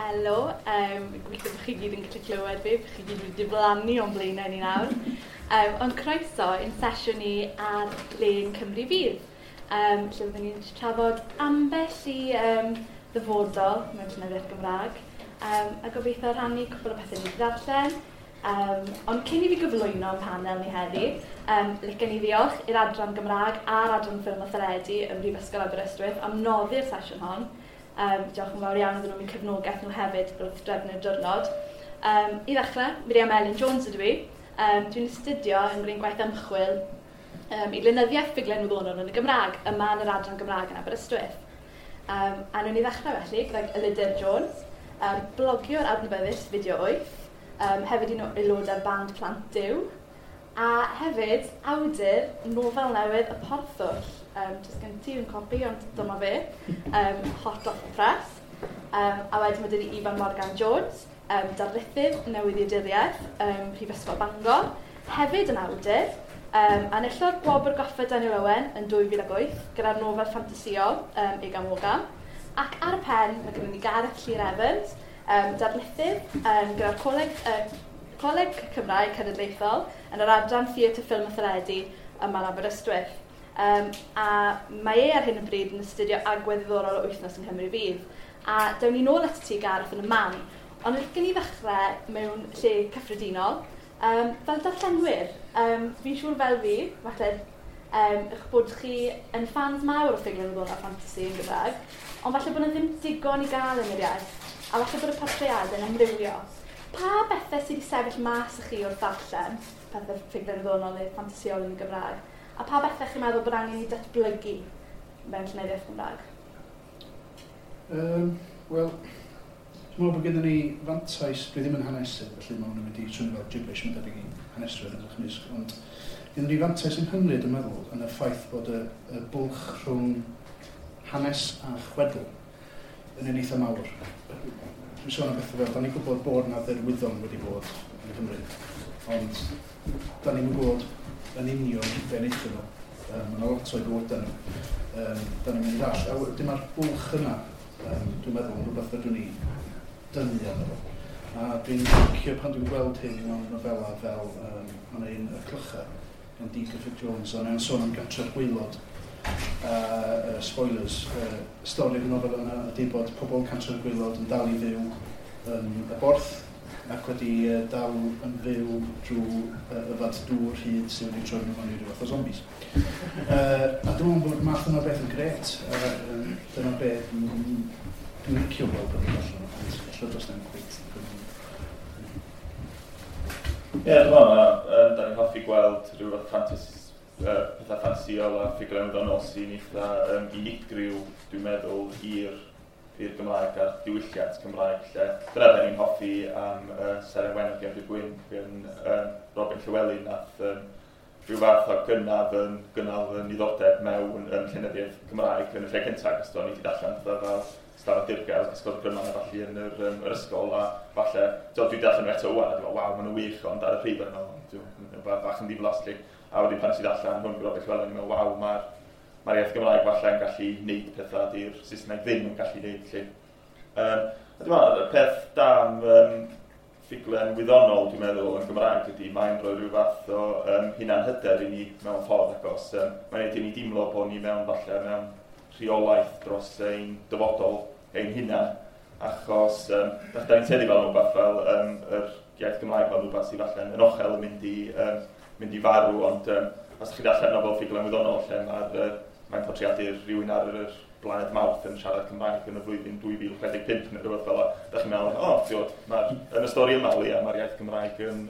Helo, gobeithio bod chi gyd yn gallu clywed fi, bod chi gyd wedi diflannu o'n blaenau ni nawr. Ond croeso i'n sesiwn ni ar Lên Cymru Fydd, lle byddwn ni'n trafod ambell i ddyfodol mewn llenyddiaeth Gymraeg, a gobeithio rhannu cwpl o pethau ni wedi ddarllen. Ond cyn i fi gyflwyno panel ni heddi, licen i ddiolch i'r Adran Gymraeg a'r Adran Ffilm a Theledu ym Mhrifysgol Aberystwyth am noddi'r sesiwn hon. Diolch yn fawr iawn iddyn nhw am eu cefnogaeth nhw hefyd wrth drefnu'r diwrnod. I ddechrau, Miriam Elin Jones ydw i. Dwi'n astudio yn gwneud gwaith ymchwil i lenyddiaeth ffuglen wyddonol yn y Gymraeg, yma yn yr Adran Gymraeg yn Aberystwyth. A wnawn ni ddechrau felly gydag Elidir Jones, blogiwr adnabyddus Fideo 8, hefyd un o aelodau'r band Plant Duw, a hefyd awdur nofel newydd Y Porthwll. Does gen ti un copi, ond dyma fe, hot off the press. A wedyn mae dyn ni Ifan Morgan Jones, darlithydd newyddiaduriaeth Prifysgol Bangor, hefyd yn awdur, enillodd Gwobr Goffa Daniel Owen yn 2008 gyda'r nofel ffantasïol Igam Ogam. Ac ar y pen, mae gennym ni Gareth Llŷr Evans, darlithydd gyda'r Coleg Cymraeg Cenedlaethol yn yr adran Theatr, Ffilm a Theledu yma yn Aberystwyth. A mae e ar hyn o bryd yn astudio agwedd ddiddorol o Wythnos yng Nghymru Fydd. A dewn ni nôl at ti, Gareth, yn y man. Ond licen i ddechrau mewn lle cyffredinol. Fel darllenwyr, fi'n siŵr fel fi, falle eich bod chi yn fans mawr o ffuglen wyddonol a ffantasi yn Gymraeg, ond falle bod yna ddim digon i gael yn yr iaith, a falle bod y portreadau'n amrywio. Pa bethau sydd wedi sefyll mas i chi wrth ddarllen pethau ffuglen wyddonol neu ffantasïol yn y Gymraeg, a pa bethau chi'n meddwl bod angen i datblygu mewn llenyddiaeth Gymraeg? Wel, dwi'n meddwl bod gennym ni fantais, dwi ddim yn hanesydd, felly mae hwn yn mynd i swnio fel gibberish, mae'n debyg i haneswyr yn eich mysg, ond gennym ni fantais yng Nghymru, dwi'n meddwl, yn y ffaith bod y bwlch rhwng hanes a chwedl yn un eitha mawr. Dwi'n sôn am bethau fel, da ni'n gwybod bod na dderwyddon wedi bod yn Nghymru, ond da ni'n gwybod yn union be wnaethon nhw. Mae yna lot o'i bywydau nhw. Da ni'n mynd i ddall. A wedyn mae'r bwlch yna, dwi'n meddwl, yn rhywbeth fedrwn ni dynnu arno fo. A dwi'n licio pan dwi'n gweld hyn mewn nofela fel mae'n un Y Clychau gan D. Griffith Jones, a mae'n sôn am Gantre'r Gwaelod. Spoilers, stori'r nofel yna ydy bod pobl Cantre'r Gwaelod yn dal i fyw yn y Borth ac wedi dal yn fyw drwy yfad dŵr hyd sydd wedi troi nhw mewn i ryw fath o zombies. A dwi'n meddwl bod math yna o beth yn grêt. Dyna beth dwi'n licio gweld bod yn allan, ond ella does na'm cweit digon. Ie, dwi'n meddwl, da ni'n hoffi gweld rhyw fath pethau ffantasïol a ffuglen wyddonol sy'n eitha unigryw, dwi'n meddwl, i'r Gymraeg a'r diwylliant Cymraeg. Lle dyna be ni'n hoffi am Seren Wen o Gefndir Gwyn gan Robin Llywelyn, nath rhyw fath o gynnal fy niddordeb mewn llenyddiaeth Cymraeg yn y lle cyntaf, achos o'n i wedi darllen pethau fel Stafell Dirgel, Cysgod y Gryman a falle yn yr ysgol, a falle, dwi wedi darllen nhw eto ŵan, a dwi'n meddwl, waw, maen nhw'n wych, ond ar y pryd o'n meddwl, dwi'n bach yn ddiflas, lle. A wedyn pan nes i ddarllen hwn Robin Llywelyn, o'n i'n meddwl, waw, mae'r iaith Gymraeg falle yn gallu neud pethau di'r Saesneg ddim yn gallu neud, lle. A dwi'n meddwl, y peth da am ffuglen wyddonol, dwi'n meddwl, yn Gymraeg ydy, mae'n rhoi rhyw fath o hunanhyder i ni mewn ffordd, achos mae'n neud i ni deimlo bod ni mewn, falle, mewn rheolaeth dros ein dyfodol ein hunan, achos da ni'n tueddu fel rhywbeth fel yr iaith Gymraeg fel rhywbeth sydd falle yn ochel yn mynd i farw, ond os ydych chi'n darllen nofel ffuglen wyddonol lle mae'n portreadu rhywun ar yr blaned Mawrth yn siarad Cymraeg yn y flwyddyn 2065 neu rhywbeth fel 'na, da chi'n meddwl, o, ti'bod, yn y stori yma, leia, mae'r iaith Gymraeg yn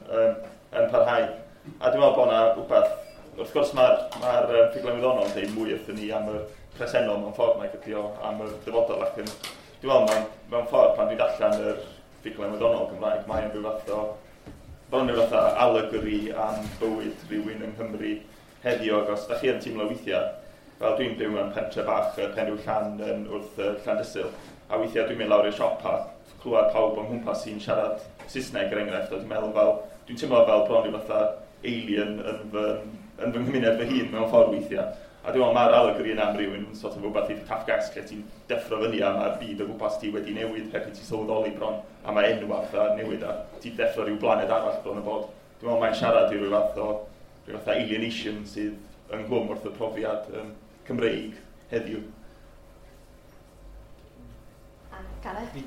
parhau. A dwi'n meddwl bod yna rhywbeth, wrth gwrs mae'r ffuglen wyddonol yn dweud mwy wrthyn ni am y presennol mewn ffordd, mae'n gydio am y dyfodol, ac yn, dwi'n meddwl, mewn ffordd, pan dwi'n darllen yr ffuglen wyddonol Gymraeg, mae'n rhyw fath o, bron rhyw fath o allegory am bywyd rhywun yng Nghymru heddiw, ac os da chi yn teimlo weithiau, fel dwi'n byw mewn pentre bach Penrhiw Llan yn wrth Llandysul, a weithiau dwi'n mynd lawr i'r siop a clywed pawb o'n nghwmpas sy'n siarad Saesneg, er enghraifft, a dwi'n meddwl fel, dwi'n teimlo fel bron rhyw fatha alien yn fy nghymuned fy hun mewn ffordd weithiau. A dwi'n meddwl mae'r alegori yna am rywun sort of rhywbeth eitha Kafkaesque lle ti'n deffro fyny a mae'r byd o gwmpas ti wedi newid heb i ti sylweddoli bron, a mae enw a pethau newid a ti'n deffro rhyw blaned arall bron o bod. Dwi'n meddwl mae'n siarad i ryw fath o rhyw fath o alienation sydd ynghlwm wrth y profiad Cymreig heddiw. A Gareth?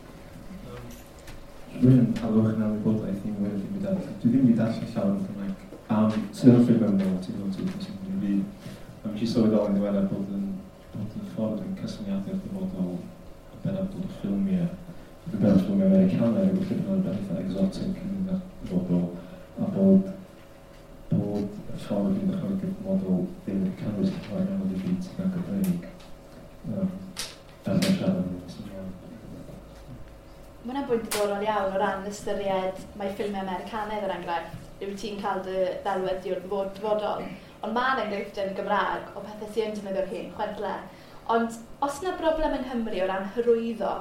Dwi'n alwch yn wybodaeth i'n wedi mynd darllen. Dwi ddim wedi darllen llawer o Gymraeg am sefyllfa mewnol tu hwnt i wythnos yn fi. A nes i sylweddoli yn ddiweddar bod yn ffordd dwi'n cysyniadu'r dyfodol yn bennaf dod o ffilmiau, yn bennaf ffilmiau Americanaidd, rhywbeth lle bod yn eitha exotic yn y dyfodol, a bod y ffordd dwi'n dychmygu'r dyfodol ddim wedi cynnwys llawer iawn o byd sydd yn Gymreig. Ar siarad yn ymlaen. Mae hwnna'n bwynt diddorol iawn o ran ystyried mae ffilmiau Americanaidd er enghraifft, yw ti'n cael dy ddelwedd di o'r dyfodol. Ond mae yna enghreifftiau yn y Gymraeg o pethau sy'n yn defnyddio'r hen chwedlau. Ond os yna broblem yng Nghymru o ran hyrwyddo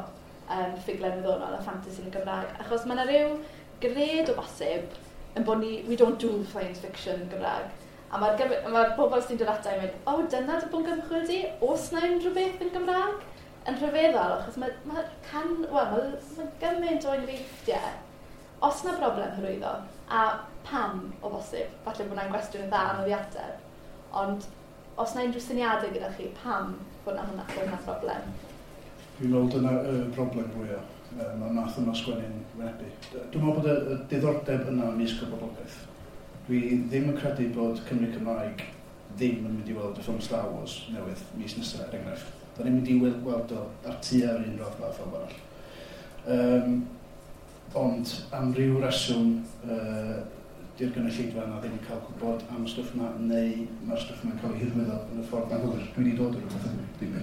ffuglen wyddonol a ffantasi yn y Gymraeg, achos mae yna rhyw gred o bosib yn bod ni, we don't do science fiction yn Gymraeg. A mae'r bobl sy'n dod ata i'n mynd, o, dyna dy bwnc ymchwil di? Oes na unrhyw beth yn Gymraeg? Yn rhyfeddol, achos mae gymaint o enghreifftiau. Os na broblem hyrwyddo, a pam o bosib, falle bod hwnna'n gwestiwn yn dda anodd i ateb, ond os na unrhyw syniadau gyda chi, pam bod na hwnna, bod na broblem? Dwi'n meddwl dyna y broblem fwyaf mae'r math yma sgwennu'n wynebu. Dwi'n meddwl bod y diddordeb yna ymysg y boblogaeth. Dwi ddim yn credu bod Cymru Cymraeg ddim yn mynd i weld y ffilm Star Wars newydd mis nesaf, er enghraifft. Da ni'n mynd i weld o ar tua'r un raddfa ffilm arall. Ond am ryw reswm, di'r gynulleidfa yna ddim yn cael gwybod am y stwff yma, neu mae'r stwff yma'n cael ei hyrwyddo yn y ffordd anghywir. Dwi wedi dod o'r rhywbeth yma.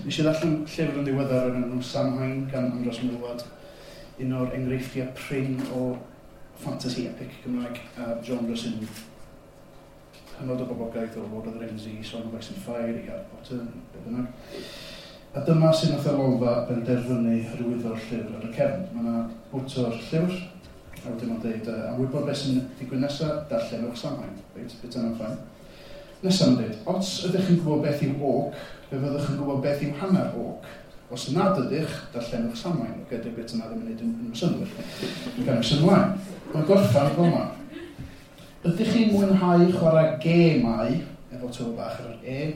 Nes i ddarllen llyfr yn ddiweddar o'r enw Samhain gan Andros Milward, un o'r enghreifftiau prin o fantasy epic Cymraeg a genre sy'n hynod o boblogaeth o Lord of the Rings i Song of Ice and Fire i Harry Potter, be bynnag. A dyma sy'n nath y Lolfa benderfynu hyrwyddo'r llyfr ar y cefn. Mae yna bwt o'r llyfr, a wedyn mae'n dweud, am wybod beth sy'n digwydd nesaf, darllenwch Samhain. Reit, bit yna'n fine. Nesaf mae'n dweud, os ydych chi'n gwybod beth yw orc, fe fyddwch yn gwybod beth yw hanner orc. Os nad ydych, darllenwch Samhain. Oce, dy'r bit yna ddim yn gwneud yn synnwyr. Gan ymlaen ymlaen. Mae'n gorffan fel yma. Ydych chi'n mwynhau chwarae gemau, efo to bach ar yr E,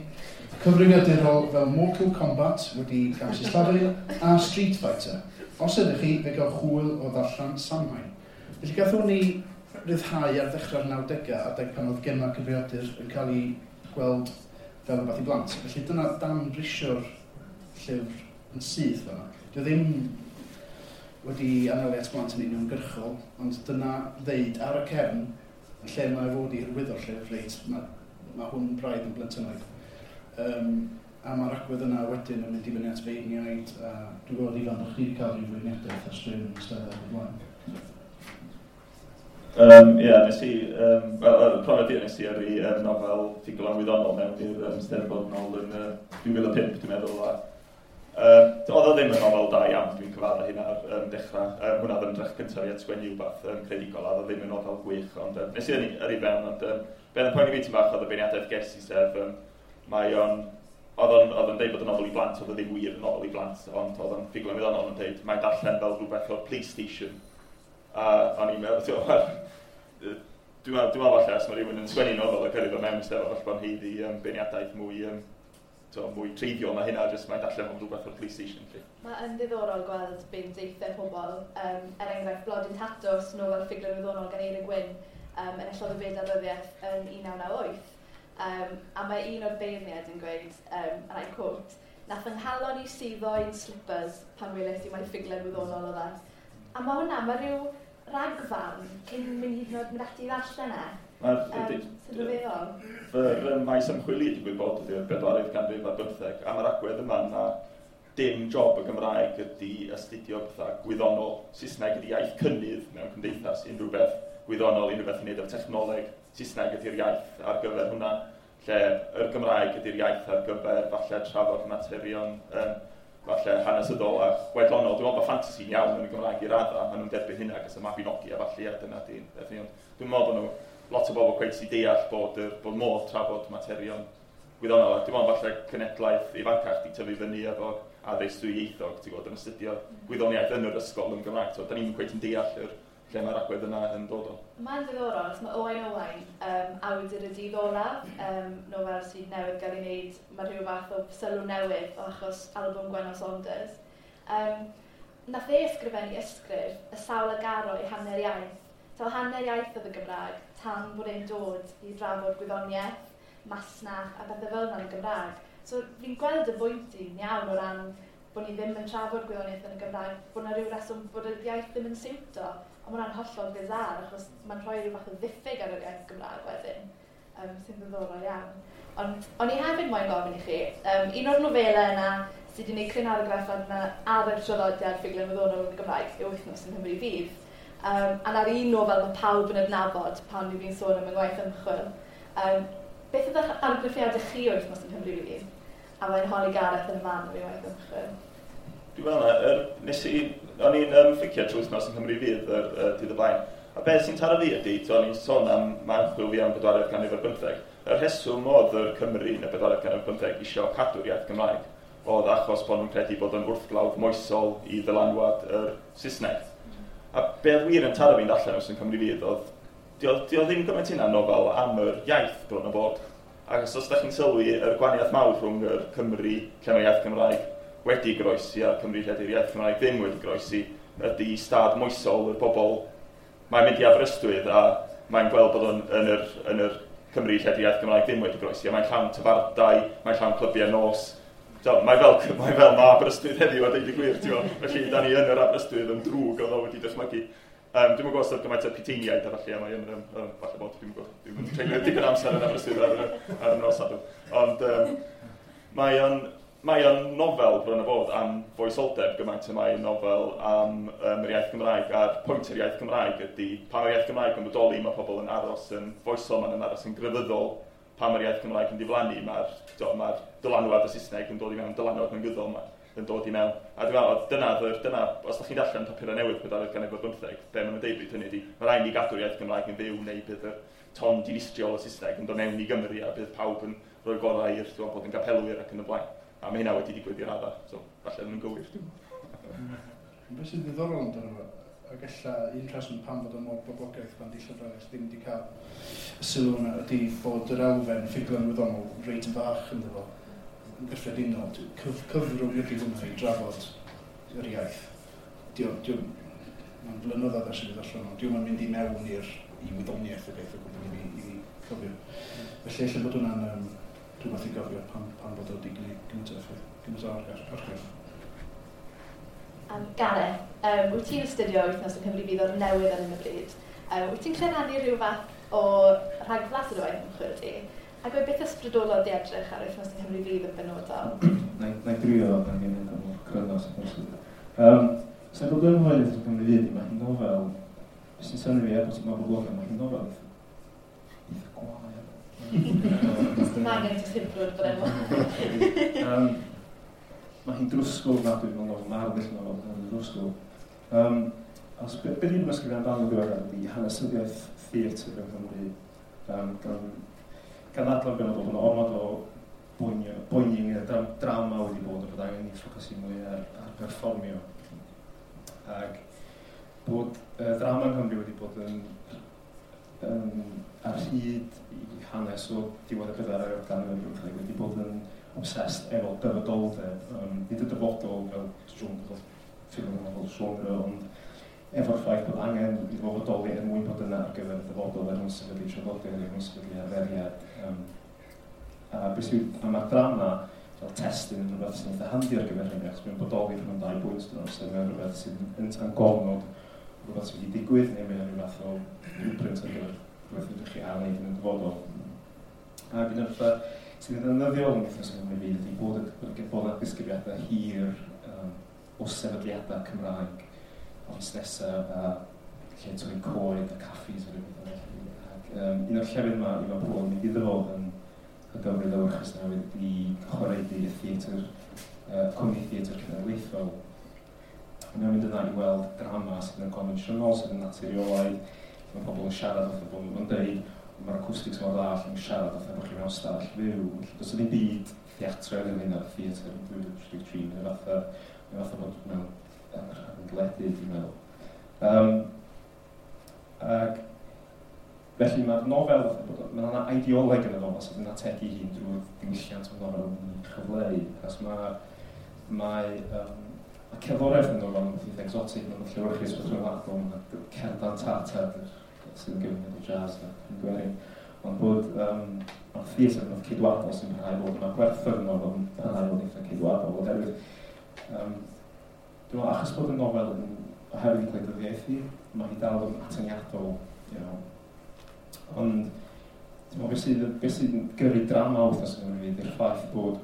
cyfrifiadurol fel Mortal Kombat wedi gamsillafu a Street Fighter? Os ydych chi, fe gael hwyl o ddarllen Samhain. Felly gath ni ryddhau ar ddechrau'r 90au, adeg pan oedd gemau cyfrifiadur yn cael ei gweld fel rhywbeth i blant. Felly dyna danbrisio'r llyfr yn syth fel yna. Dwi ddim wedi anelu at blant yn uniongyrchol, ond dyna ddeud ar y cefn, yn lle mae fod i hyrwyddo'r llyfr, reit, mae hwn braidd yn blentynaidd. A mae'r agwedd yna wedyn yn mynd i fyny at feirniaid, a dwi'n gwybod Ifan bod chi wedi cael rhyw feirniadaeth ar straeon yn Steddfod o'r blaen. Ie, nes i, profiad i nes i yrru nofel ffuglen wyddonol mewn i'r Steddfod nôl yn 2005, dwi'n meddwl. Oedd o ddim yn nofel da iawn, dwi'n cyfadda hynna ar dechrau. Hwnna oedd ymdrech cyntaf i at sgwennu rhywbeth creadigol, a oedd o ddim yn nofel gwych, ond nes i yrru fewn, ond be oedd yn poeni fi tipyn bach oedd y beirniadaeth ges i, sef mae o'n oedd o'n deud bod y nofel i blant, oedd o ddim wir yn nofel i blant, ond oedd o'n ffuglen wyddonol yn deud, mae'n darllen fel rhywbeth o'r PlayStation. A o'n i'n meddwl, dwi'n meddwl falle os mae rhywun yn sgwennu nofel ac yrru fo mewn Steddfod, falle bod o'n haeddu beirniadaeth mwy, mwy treiddiol na hynna, jyst mae'n darllen fel rhywbeth o'r PlayStation. Mae yn ddiddorol gweld beth deitha pobl, er enghraifft Blodyn Tatws, nofel ffuglen wyddonol gan Eira Gwyn, enillodd y Fedal Ryddiaith yn 1998. A mae un o'r beirniaid yn gweud, and I quote, nath yng nghalon i suddo i'n slippers pan weles i mai ffuglen wyddonol oedd e. A mae hwnna, mae rhyw ragfarn cyn mynd hyd yn oed mynd ati i ddarllen e. Sy'n rhyfeddol. Fy maes ymchwil i digwydd bod ydy'r bedwaredd ganrif ar bymtheg, a mae'r agwedd yma na dim job y Gymraeg ydy astudio pethau gwyddonol. Saesneg ydy iaith cynnydd mewn cymdeithas, unrhyw beth gwyddonol, unrhyw beth i wneud efo technoleg. Saesneg ydy'r iaith ar gyfer hwnna, lle yr Gymraeg ydy'r iaith ar gyfer falle trafod materion, falle hanesyddol a chwedlonol. Dwi'n meddwl bod ffantasi'n iawn yn y Gymraeg i radda, maen nhw'n derbyn hynna achos y Mabinogi a falle, a dyna di'n beth. Dwi'n meddwl bod nhw, lot o bobl cweit sy'n deall bod modd trafod materion gwyddonol. A dwi'n meddwl falle cenedlaeth ifancach di tyfu fyny efo addysg dwyieithog, ti'n gwybod, yn astudio gwyddoniaeth yn yr ysgol yn Gymraeg. So, da ni'n cweit yn deall yr lle mae'r agwedd yna yn dod o. Mae'n ddiddorol, achos mae Owain Owain, awdur y dydd olaf, nofel sydd newydd gael ei wneud, mae rhyw fath o sylw newydd o achos albwm Gwenno Saunders. Nath e ysgrifennu ysgrif y sawl a garo i hanner iaith. So hanner iaith oedd y Gymraeg tan bod e'n dod i drafod gwyddoniaeth, masnach a bethau fel yna yn y Gymraeg. So fi'n gweld y bwynt i'n iawn o ran bod ni ddim yn trafod gwyddoniaeth yn y Gymraeg, bod yna rhyw reswm bod y iaith ddim yn siwto. Ond mae hwnna'n hollol bizarre, achos mae'n rhoi rhyw fath o ddiffyg ar yr iaith Gymraeg wedyn, sy'n ddiddorol iawn. Ond o'n i hefyd moyn gofyn i chi, un o'r nofelau yna sydd wedi gwneud cryn argraff arna ar y traddodiad ffuglen wyddonol yn y Gymraeg yw Wythnos yng Nghymru Fydd. A na'r un nofel mae pawb yn adnabod pan fi'n sôn am yng ngwaith ymchwil. Beth oedd eich argraffiadau chi o Wythnos yng Nghymru Fydd? A mae'n holi Gareth yn y man o'i waith ymchwil. Dwi'n meddwl na, o'n i'n fficio trwy Wythnos yng Nghymru Fydd yr dydd y blaen. A beth sy'n taro fi ydy, o'n i'n sôn am mae ymchwil fi am bedwaredd ganrif ar bymtheg. Y rheswm oedd yr Cymru yn y bedwaredd ganrif ar bymtheg isio cadw'r iaith Gymraeg oedd achos bod nhw'n credu bod yn wrthglawdd moesol i ddylanwad yr Saesneg. A beth wir yn taro fi'n darllen Wythnos yng Nghymru Fydd oedd, dio ddim gymaint hynna nofel am yr iaith bron o bod. Ac os ydych chi'n sylwi yr gwahaniaeth mawr rhwng yr Cymru lle mae iaith Gymraeg wedi groesi a'r Cymru lle ydy'r iaith Gymraeg ddim wedi groesi, ydy stad moesol yr bobl. Mae'n mynd i Aberystwyth a mae'n gweld bod o'n yn yr Cymru lle ydy'r iaith Gymraeg ddim wedi groesi, a mae'n llawn tafarndai, mae'n llawn clybiau nos. So, mae fel ma Aberystwyth heddiw a deud y gwir, ti'n gwybod? Felly, da ni yn yr Aberystwyth yn drwg oedd o wedi dychmygu. Dwi'm yn gwybod os oedd gymaint o puteiniaid a falle, a mae yn, falle bod, dwi'm yn gwybod, dwi'm yn treulio digon amser yn Aberystwyth ar y nos Sadwrn. Ond mae o'n nofel bron o bod am foesoldeb gymaint y mae'n nofel am yr iaith Gymraeg, a'r pwynt yr iaith Gymraeg ydy, pan mae'r iaith Gymraeg yn bodoli, mae pobl yn aros yn foesol, maen nhw'n aros yn grefyddol. Pan mae'r iaith Gymraeg yn diflannu, mae'r dylanwad y Saesneg yn dod i mewn, dylanwad negyddol yma yn dod i mewn. A dwi'n meddwl, dyna, os ydych chi'n darllen papurau newydd pedwaredd ganrif ar bymtheg, be maen nhw'n deud bryd hynny ydy, mae rhaid ni gadw'r iaith Gymraeg yn fyw neu bydd y ton dinistriol y Saesneg yn dod mewn i Gymru a bydd pawb yn rhoi gorau i'r bod yn gapelwyr ac yn y blaen. A mae hynna wedi digwydd i'r raddau, so falle nhw'n gywir. Beth sy'n ddiddorol amdano fo, ac ella un rheswm pam fod o mor boblogaidd pan di llyfrau eraill ddim wedi cael y sylw yna ydy bod yr elfen ffuglen wyddonol reit fach ynddo fo. Yn gyffredinol, cyfrwng ydy hwnna i drafod yr iaith. Mae'n flynyddoedd ers i fi ddarllen o. Dio'm yn mynd i mewn i'r i wyddoniaeth y beth o gwbl i fi cofio. Felly ella bod hwnna'n rhywbeth i gofio pam bod o wedi gwneud gymaint o effaith, gymaint o argraff. Gareth, wyt ti'n astudio Wythnos yng Nghymru Fydd o'r newydd ar hyn o bryd. Wyt ti'n rhannu rhyw fath o rhagflas o dy waith ymchwil di? Ac oedd beth ysbrydolodd di edrych ar Wythnos yng Nghymru Fydd yn benodol? Na i drio yn gwneud o'n gryno sy'n bosib. So, broblem efo Wythnos yng Nghymru Fydd, mae hi'n nofel, beth sy'n synnu fi er bod hi'n boblogaidd, mae hi'n nofel eitha gwael. Dim angen ti simplwr bod enw. Mae hi'n drwsgwl ofnadwy, mae'n nofel, mae'r arddull nofel, mae'n drwsgwl. Os be dwi'n ysgrifennu amdano ddiweddar ydy hanesyddiaeth theatr yng Nghymru, gan ddadlau benodol bod yna ormod o boeni ynglyn â drama wedi bod a bod angen i ffocysu mwy ar perfformio. Ac bod drama yng Nghymru wedi bod yn ar hyd i hanes o diwedd y bedwaredd ganrif ar bymtheg wedi bod yn obsessed efo dyfodoldeb, nid y dyfodol fel genre, ffilm fel genre, ond efo'r ffaith bod angen iddo fo fodoli er mwyn bod yna ar gyfer y dyfodol, er mwyn sefydlu traddodiad, er mwyn sefydlu arferiad. A mae'r drama fel testun yn rhywbeth sy'n eitha handi ar gyfer hynny, achos mae'n bodoli rhwng dau bwynt dyn nhw, sef mae'n rhywbeth sy'n yn gofnod rhywbeth sydd wedi digwydd, neu mae'n rhyw fath o blueprint ar gyfer rhywbeth ydych chi ar wneud yn y dyfodol. Ac un o'r pethau sydd yn ddefnyddiol yn Wythnos yng Nghymru Fydd ydy bod yna disgrifiadau hir o sefydliadau Cymraeg, o fusnesau a lle torri coed a caffis a rhywbeth felly. Ac un o'r llefydd yma i mae pobl yn mynd iddo fo yn y Gymru lewyrchus newydd ydy chwaraedu y theatr, cwmni theatr cenedlaethol. Mae'n mynd yna i weld drama sydd yn gonfensiynol, sydd yn naturiolaidd, mae pobl yn siarad wrth y bod nhw'n dweud, Mae'r acoustics mor dda, allan nhw'n siarad fatha bod chi mewn stafell fyw. Felly does ddim byd theatraidd yn hynna, theatr yn 2033, mae'n fatha bod mewn rhan deledu, dwi'n meddwl. Ac felly mae'r nofel, mae yna ideoleg yn y nofel sydd yn ategu hun drwy'r diwylliant mae'r nofel yn chyfleu. Achos mae cerddoriaeth yn nofel yn beth exotic, mae'n llewyrchus, beth rhyngwladol, mae'n cerdd dant Tartar sydd yn gyfuniad o jazz a gwerin. Ond bod mae'r theatr yn beth ceidwadol sy'n parhau fod, mae gwerthoedd yn nofel yn parhau fod eitha ceidwadol, oherwydd dwi'n meddwl, achos bod y nofel yn oherwydd gwleidyddiaethu, mae hi dal yn atyniadol. Ond, dwi'n meddwl, beth sydd yn gyrru drama wythnos yn ymwneud yw'r ffaith bod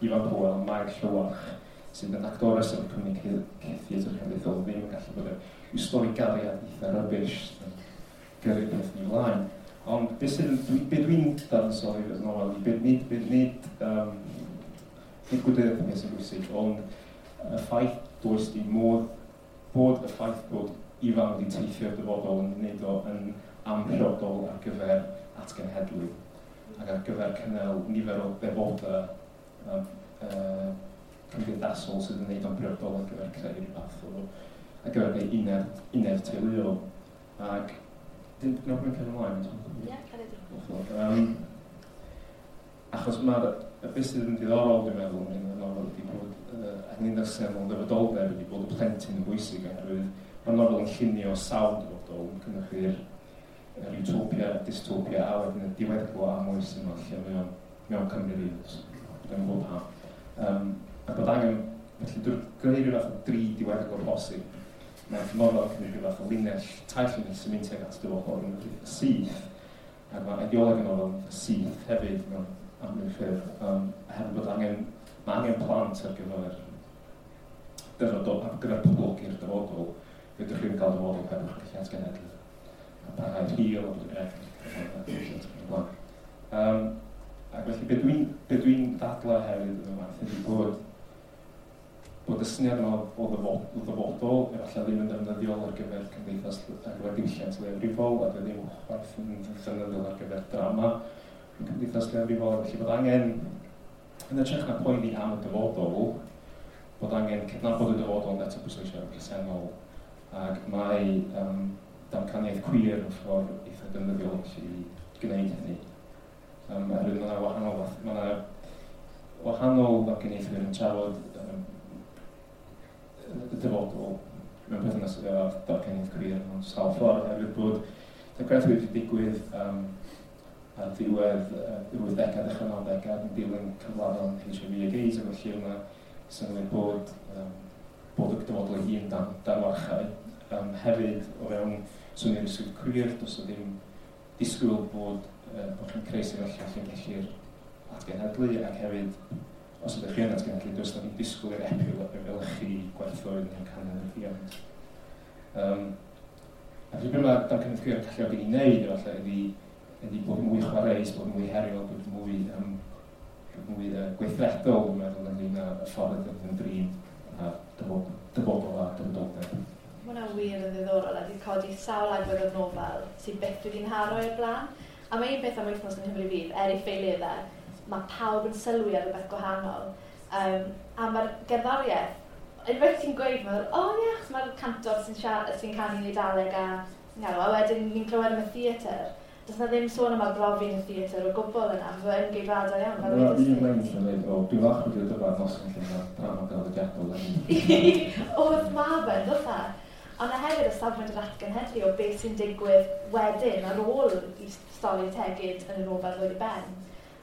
Ifan Powell a Mair Llywarch, sydd yn actores o'r cwmni theatr cenedlaethol, ddim yn gallu bod yn stori gariad eitha rubbish yn gyrru peth ni ymlaen. Ond beth dwi'n dadansoddi y nofel, beth, nid gwleidyddiaeth beth sy'n bwysig, ond y ffaith does dim modd bod y ffaith bod Ifan wedi teithio'r dyfodol yn gwneud o yn amhriodol ar gyfer atgenhedlu ac ar gyfer cynnal nifer o ddefodau cymdeithasol sydd yn gwneud o'n briodol ar gyfer creu rhyw fath o ar gyfer gwneud uned teuluol. Ac dim no, mae'n cael ymlaen. Ie, cael ei Achos mae'r beth sydd yn diddorol, dwi'n meddwl, yn y nofel ydy bod, ac yn syniad o ddyfodoldeb ydy bod y plentyn yn bwysig, oherwydd mae'r nofel yn llunio sawl dyfodol, yn cynhyrchu'r yr utopia, dystopia, a wedyn y diweddglo am oes yma, lle mae o'n mewn Cymru rydd, dwi'n gwybod pam. A bod angen, felly drwy greu rhyw fath o dri diweddglo posib, mae'r nofel yn cymryd rhyw fath o linell, tair linell sy'n mynd tuag at dyfodol yn eitha syth, ac mae ideoleg y nofel yn eitha syth hefyd mewn amryw ffyrdd, a hefyd bod angen, mae angen plant ar gyfer dyfodol, ar gyfer poblogi'r dyfodol, fedrwch chi'n cael dyfodol heb eich gallu atgenhedlu. A parhau'r hil, a bod yn blaen. Ac felly, be dwi'n ddadlau hefyd yn y waith ydy bod y syniad yma o ddyfodol efallai ddim yn ddefnyddiol ar gyfer cymdeithas, ar gyfer diwylliant leiafrifol, a ddim chwaith yn ddefnyddiol ar gyfer drama yn cymdeithas leiafrifol, felly bod angen, yn hytrach na poeni am y dyfodol, bod angen cydnabod y dyfodol ond eto pwysleisio ar y presennol, ac mae damcaniaeth queer yn ffordd eitha defnyddiol i gwneud hynny. Oherwydd mae yna wahanol ddamcaniaethwyr yn trafod y dyfodol mewn perthynas â damcaniaeth queer mewn sawl ffordd, oherwydd bod damcaniaeth wedi digwydd ar ddiwedd yr 80au, dechrau 90au, yn dilyn cyflafan HIV ag AIDS, ac felly yna synnwyr bod y dyfodol ei hun dan warchau. Hefyd, o fewn syniad ysgrif queer, does o ddim disgwyl bod chi'n creu sefyllfa lle gellir atgenhedlu, ac hefyd, os ydych chi yn atgenhedlu, does na ddim disgwyl i'r epil efelychu gwerthoedd neu canol y rhiant. A felly beth mae damcaniaeth queer yn galluogi ni wneud, efallai, ydy bod mwy chwareus, bod mwy heriol, bod mwy gweithredol, dwi'n meddwl, ynglyn â y ffordd ydym yn drin a dyfodol a dyfodoldeb. Mae hwnna wir yn ddiddorol a wedi codi sawl agwedd o'r nofel sydd byth wedi nharo i'r blaen. A mae un beth am wythnos yng Nghymru Fydd, er ei ffeileddau, mae pawb yn sylwi ar rhywbeth gwahanol. A mae'r gerddoriaeth, unwaith ti'n gweud, mae'n, o oh, ie, achos mae'r cantor sy'n canu yn Eidaleg a, a wedyn ni'n clywed am y theatr. Does na ddim sôn am arbrofi yn y theatr o gwbl yna, mae'n geidwadol iawn. Fel Mae un lein sy'n dweud, o, dwi'n falch wedi dod yma noson lle mae drama draddodiadol yn Oedd ma fe, doedd e? Ond na hefyd y safbwynt yr atgenhedlu o beth sy'n digwydd wedyn ar ôl i stori Tegid yn y nofel ddod i ben.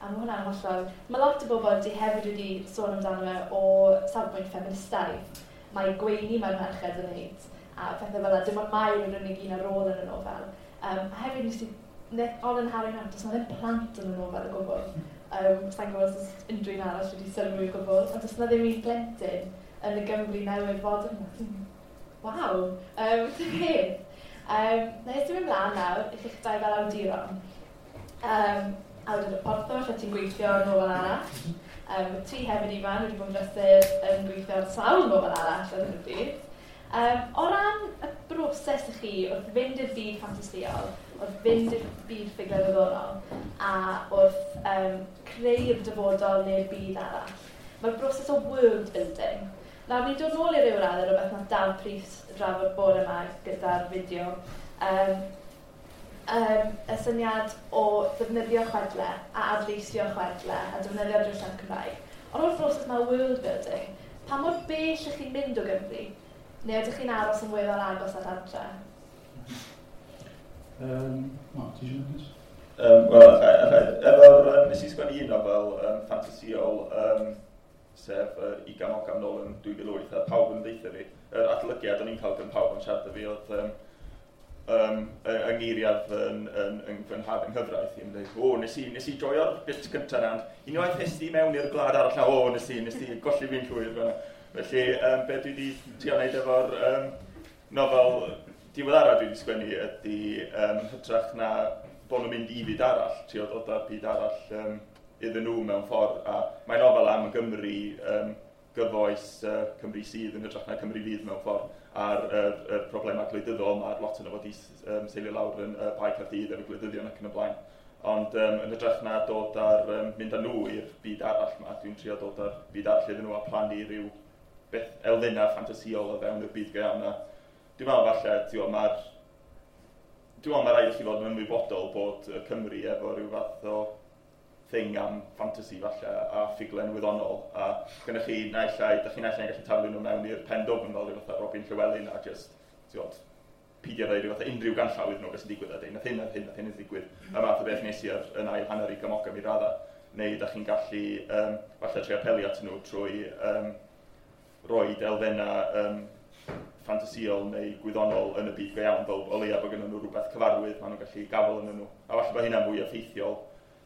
A mae hwnna'n hollol. Mae lot o bobl wedi hefyd wedi sôn amdano fe o safbwynt ffeministaidd. Mae gweini mae'r merched yn neud a pethau fel yna. Dim ond Mair yw'r unig un ar ôl yn y nofel. A hefyd nes i, ond yn Harry Nawr, does na ddim plant yn y nofel o gwbl. Sa'n gwybod os oes unrhyw un arall wedi sylwi o gwbl, ond does na ddim un plentyn yn y Gymru newydd fod yna. Waw! Ti'n beth? Na i symud ymlaen nawr i chi'ch dau fel awduron. Awdur y Porthor, lle ti'n gweithio ar nofel arall. Ti hefyd, Ifan, wedi bod yn brysur yn gweithio ar sawl nofel arall ar hyn o bryd. O ran y broses i chi wrth fynd i'r byd ffantasïol, wrth fynd i'r byd ffuglen wyddonol a wrth creu'r dyfodol neu'r byd arall. Mae'r broses o world building. Nawr, ni'n dod nôl i ryw raddau rhywbeth nath Daf Prys drafod bore yma gyda'r fideo. Y syniad o ddefnyddio chwedle a adleisio chwedle a defnyddio'r diwylliant Cymraeg. Ond o'r broses mae world building, pa mor bell ych chi'n mynd o Gymru? Neu ydych chi'n aros yn weddol agos at adre? No, ti eisiau mynd? Wel, efo'r, nes i sgwennu un nofel ffantasïol, sef Igam Ogam nôl yn 2008, a pawb yn deutha fi, yr adolygiad o'n i'n cael gan pawb yn siarad â fi oedd yng ngeiriad yn fy nhad yng nghyfraith i'n dweud, o, nes i joio'r bit cyntaf na, ond unwaith nes di mewn i'r gwlad arall na, o, nes di golli fi'n llwyr fan'na. Felly, be dwi wedi trio wneud efo'r nofel diweddara dwi wedi sgwennu ydy hytrach na bod nhw'n mynd i fyd arall, trio dod â'r byd arall iddyn nhw mewn ffordd. A mae nofel am y Gymru gyfoes, Cymru sydd yn hytrach na Cymru fydd mewn ffordd, a'r yr problemau gwleidyddol, mae'r lot yno fod i seilio lawr yn Bae Caerdydd efo gwleidyddion ac yn y blaen. Ond yn hytrach na dod ar, mynd â nhw i'r byd arall yma, dwi'n trio dod â'r byd arall iddyn nhw a plannu rhyw beth elfennau ffantasïol o fewn y byd go iawn. Dwi'n meddwl falle, dwi'n meddwl mae rhaid i chi fod yn ymwybodol bod y Cymru efo rhyw fath o thing am fantasy falle a ffuglen wyddonol, a gynnwch chi naill ai, dach chi naill ai'n gallu taflu nhw mewn i'r pen dwfn fel rhyw fath o Robin Llywelyn a just, ti'n gwybod, peidio rhoi rhyw fath o unrhyw ganllaw iddyn nhw beth sy'n digwydd a deud, nath hyn, nath hyn, nath hyn yn digwydd. Y math o beth nes i ar yn ail hanner Igam Ogam i radda. Neu dach chi'n gallu falle trio apelio at nhw trwy roid elfennau ffantasïol neu gwyddonol yn y byd go iawn, fel o leia bod gennyn nhw rhywbeth cyfarwydd, maen nhw'n gallu gafel yn nhw. A falle bod hynna'n fwy effeithiol.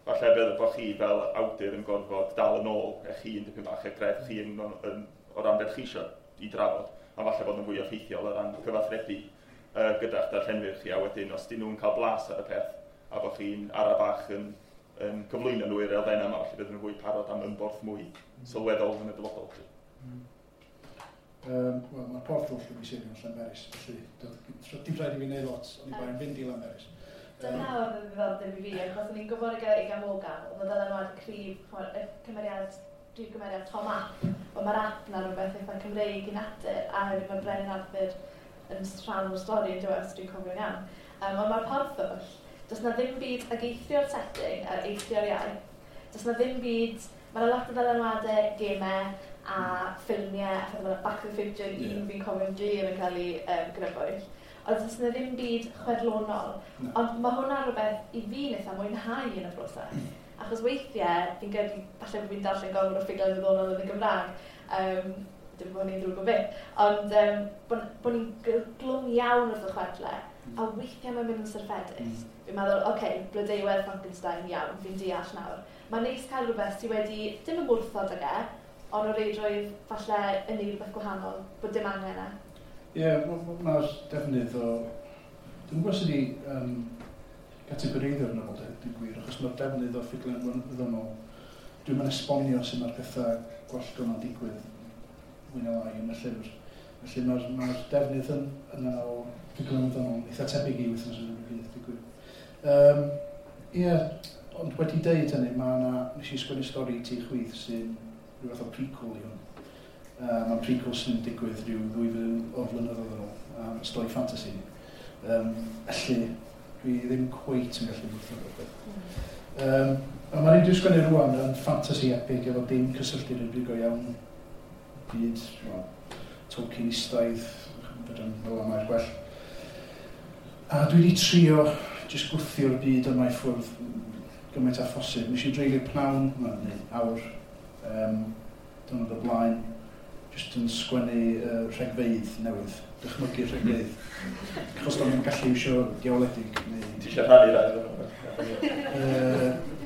Falle bydd bod chi fel awdur yn gorfod dal yn ôl eich hun dipyn bach, eich grefft chi o ran beth chi eisiau i drafod. A falle bod yn fwy effeithiol o ran cyfathrebu gyda'ch darllenwyr chi, a wedyn os dyn nhw'n cael blas ar y peth, a bod chi'n ara bach yn cyflwyno nhw i'r elfennau yma, falle bydd nhw'n fwy parod am ymborth mwy sylweddol yn y dyfodol. Wel, mae'r porthol lle fi seilio yn Llanberis, felly dim rhaid i fi wneud lot, ond i bai'n fynd i Llanberis. Dyna oedd yn ddiddordeb i fi, achos o'n i'n gwybod y Igam Ogam, oedd y dylanwad cryf, y cymeriad, prif gymeriad Tom App, ond mae'r app na rhywbeth eitha Cymreig i natur, a hefyd mae Brenin Arthur yn rhan o'r stori yn dweud, os dwi'n cofio'n iawn. Ond mae'r porthwll, does na ddim byd ag eithrio'r setting a eithrio'r iaith, does na ddim byd, mae yna lot o ddylanwadau, gemau, a ffilmiau, a phethau fel Back to the Future, un fi'n cofio'n glir yn cael ei grybwyll. Ond does na ddim byd chwedlonol. No. Ond mae hwnna rhywbeth i fi'n eitha mwynhau yn y broses. Achos weithiau, fi'n credu, falle bod fi'n darllen gormod o ffuglen wyddonol yn y Gymraeg, dim bod ni'n ddrwg o beth, ond bod ni'n glwm iawn wrth y chwedle, a weithiau mae'n mynd yn syrffedus. Fi'n meddwl, oce, okay, Blodeuwedd Frankenstein, iawn, fi'n deall nawr. Mae'n neis cael rhywbeth sydd wedi, dim ymwrthod ag e, ond o reidrwydd falle yn neud rhywbeth gwahanol, bod dim angen e. Ie, mae'r defnydd o... Dwi'n gwybod sydd wedi categoreiddio'r nofel, dwi'n gwir, achos mae'r defnydd o ffuglen wyddonol, dwi'n mynd esbonio sut mae'r pethau gwallgo yma'n digwydd mwy na lai yn y llyfr. Felly mae'r defnydd yna o ffuglen wyddonol eitha tebyg i wythnos yn y byd, dwi'n gwir. Ie, ond wedi deud hynny, mae yna, nes i sgwennu stori i Ti Chwith sy'n rhyw fath o prequel i hwn. Mae'n prequel sy'n digwydd rhyw 2000 o flynyddoedd yn ôl, stori fantasy. Felly, dwi ddim cweit yn gallu gwrthod o'r beth. Ond mae'n un dwi'n sgwennu rŵan yn fantasy epic efo dim cysylltu i'r byd go iawn byd, well, Tolkienistaidd, fedrwn fel yma i'r gwell. A dwi wedi trio jyst gwthio'r byd yma i ffwrdd gymaint â phosib. Nes i dreulio pnawn, neu awr, diwrnod o blaen, jyst yn sgwennu rhegfeydd newydd, dychmygu rhegfeydd. Achos do'n i'n gallu iwsio diawledig. Neu... Ti eisiau rhannu rai?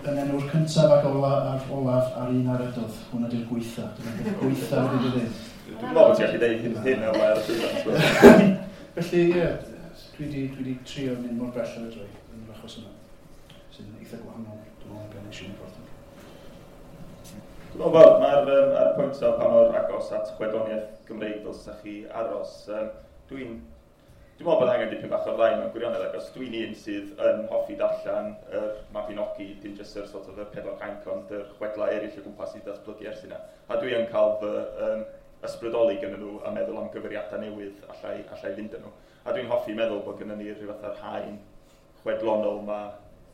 Yn enw'r cyntaf ac olaf a'r un ar edodd. Hwna di'r gweitha. Dyna'r gweitha wedi dweud. Dwi'n meddwl bod ti'n gallu deud hyn o ar y llwyfan. Felly, ie, dwi wedi trio mynd mor bell ar y droi yn yr achos yma. Sy'n eitha gwahanol, dwi'n meddwl, gan eisiau yn ffordd. Dwi'n meddwl, mae'r ar y pwynt o pa mor agos at chwedloniaeth Gymreig ddylsa chi aros, dwi'n Dwi'n meddwl bod angen dipyn bach o'r ddau mewn gwirionedd, ac os dwi'n un sydd yn hoffi darllen yr Mabinogi, dim jyst yr sort of y pedwar cainc, ond yr chwedlau eraill o gwmpas i datblygu ers hynna. A dwi yn cael fy ysbrydoli gyda nhw a meddwl am gyfeiriadau newydd allai fynd â nhw. A dwi'n hoffi meddwl bod gennym ni rhyw fath o'r haen chwedlonol ma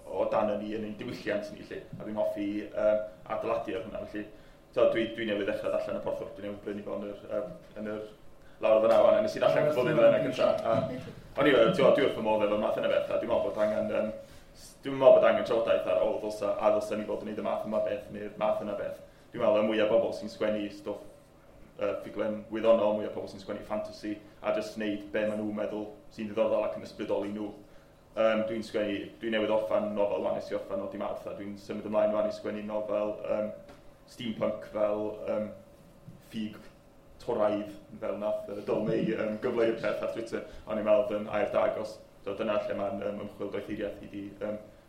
o dan ni yn ein diwylliant ni, lle. A dwi'n hoffi adeiladu ar hwnna, felly. So, dwi newydd ddechrau darllen y Porthwr, dwi newydd brynu fo yn yr lawr fyna wan, a nes i ddarllen cwbl ddim yna gyntaf. O'n i, dwi wrth fy modd efo'r math yna beth, a dwi'n meddwl bod angen, dwi'n meddwl bod angen trafodaeth ar, o, ddylsa ni fod yn neud y math yma beth, neu'r math yna beth. Dwi'n meddwl y mwyaf bobl sy'n sgwennu stwff ffuglen wyddonol, mwyaf pobl sy'n sgwennu fantasy, a jyst wneud be maen nhw'n meddwl sy'n ddiddorol ac yn ysbrydoli nhw. Dwi'n sgwennu, dwi newydd orffan nofel wan, nes i orffan o di Mawrth, a dwi'n symud ymlaen wan i sgwennu nofel steampunk fel ffug toraidd, fel nath Dyl Mei gyfleu'r peth ar Twitter, o'n i'n meddwl yn air da agos. So dyna lle mae'n ymchwil doethuriaeth i di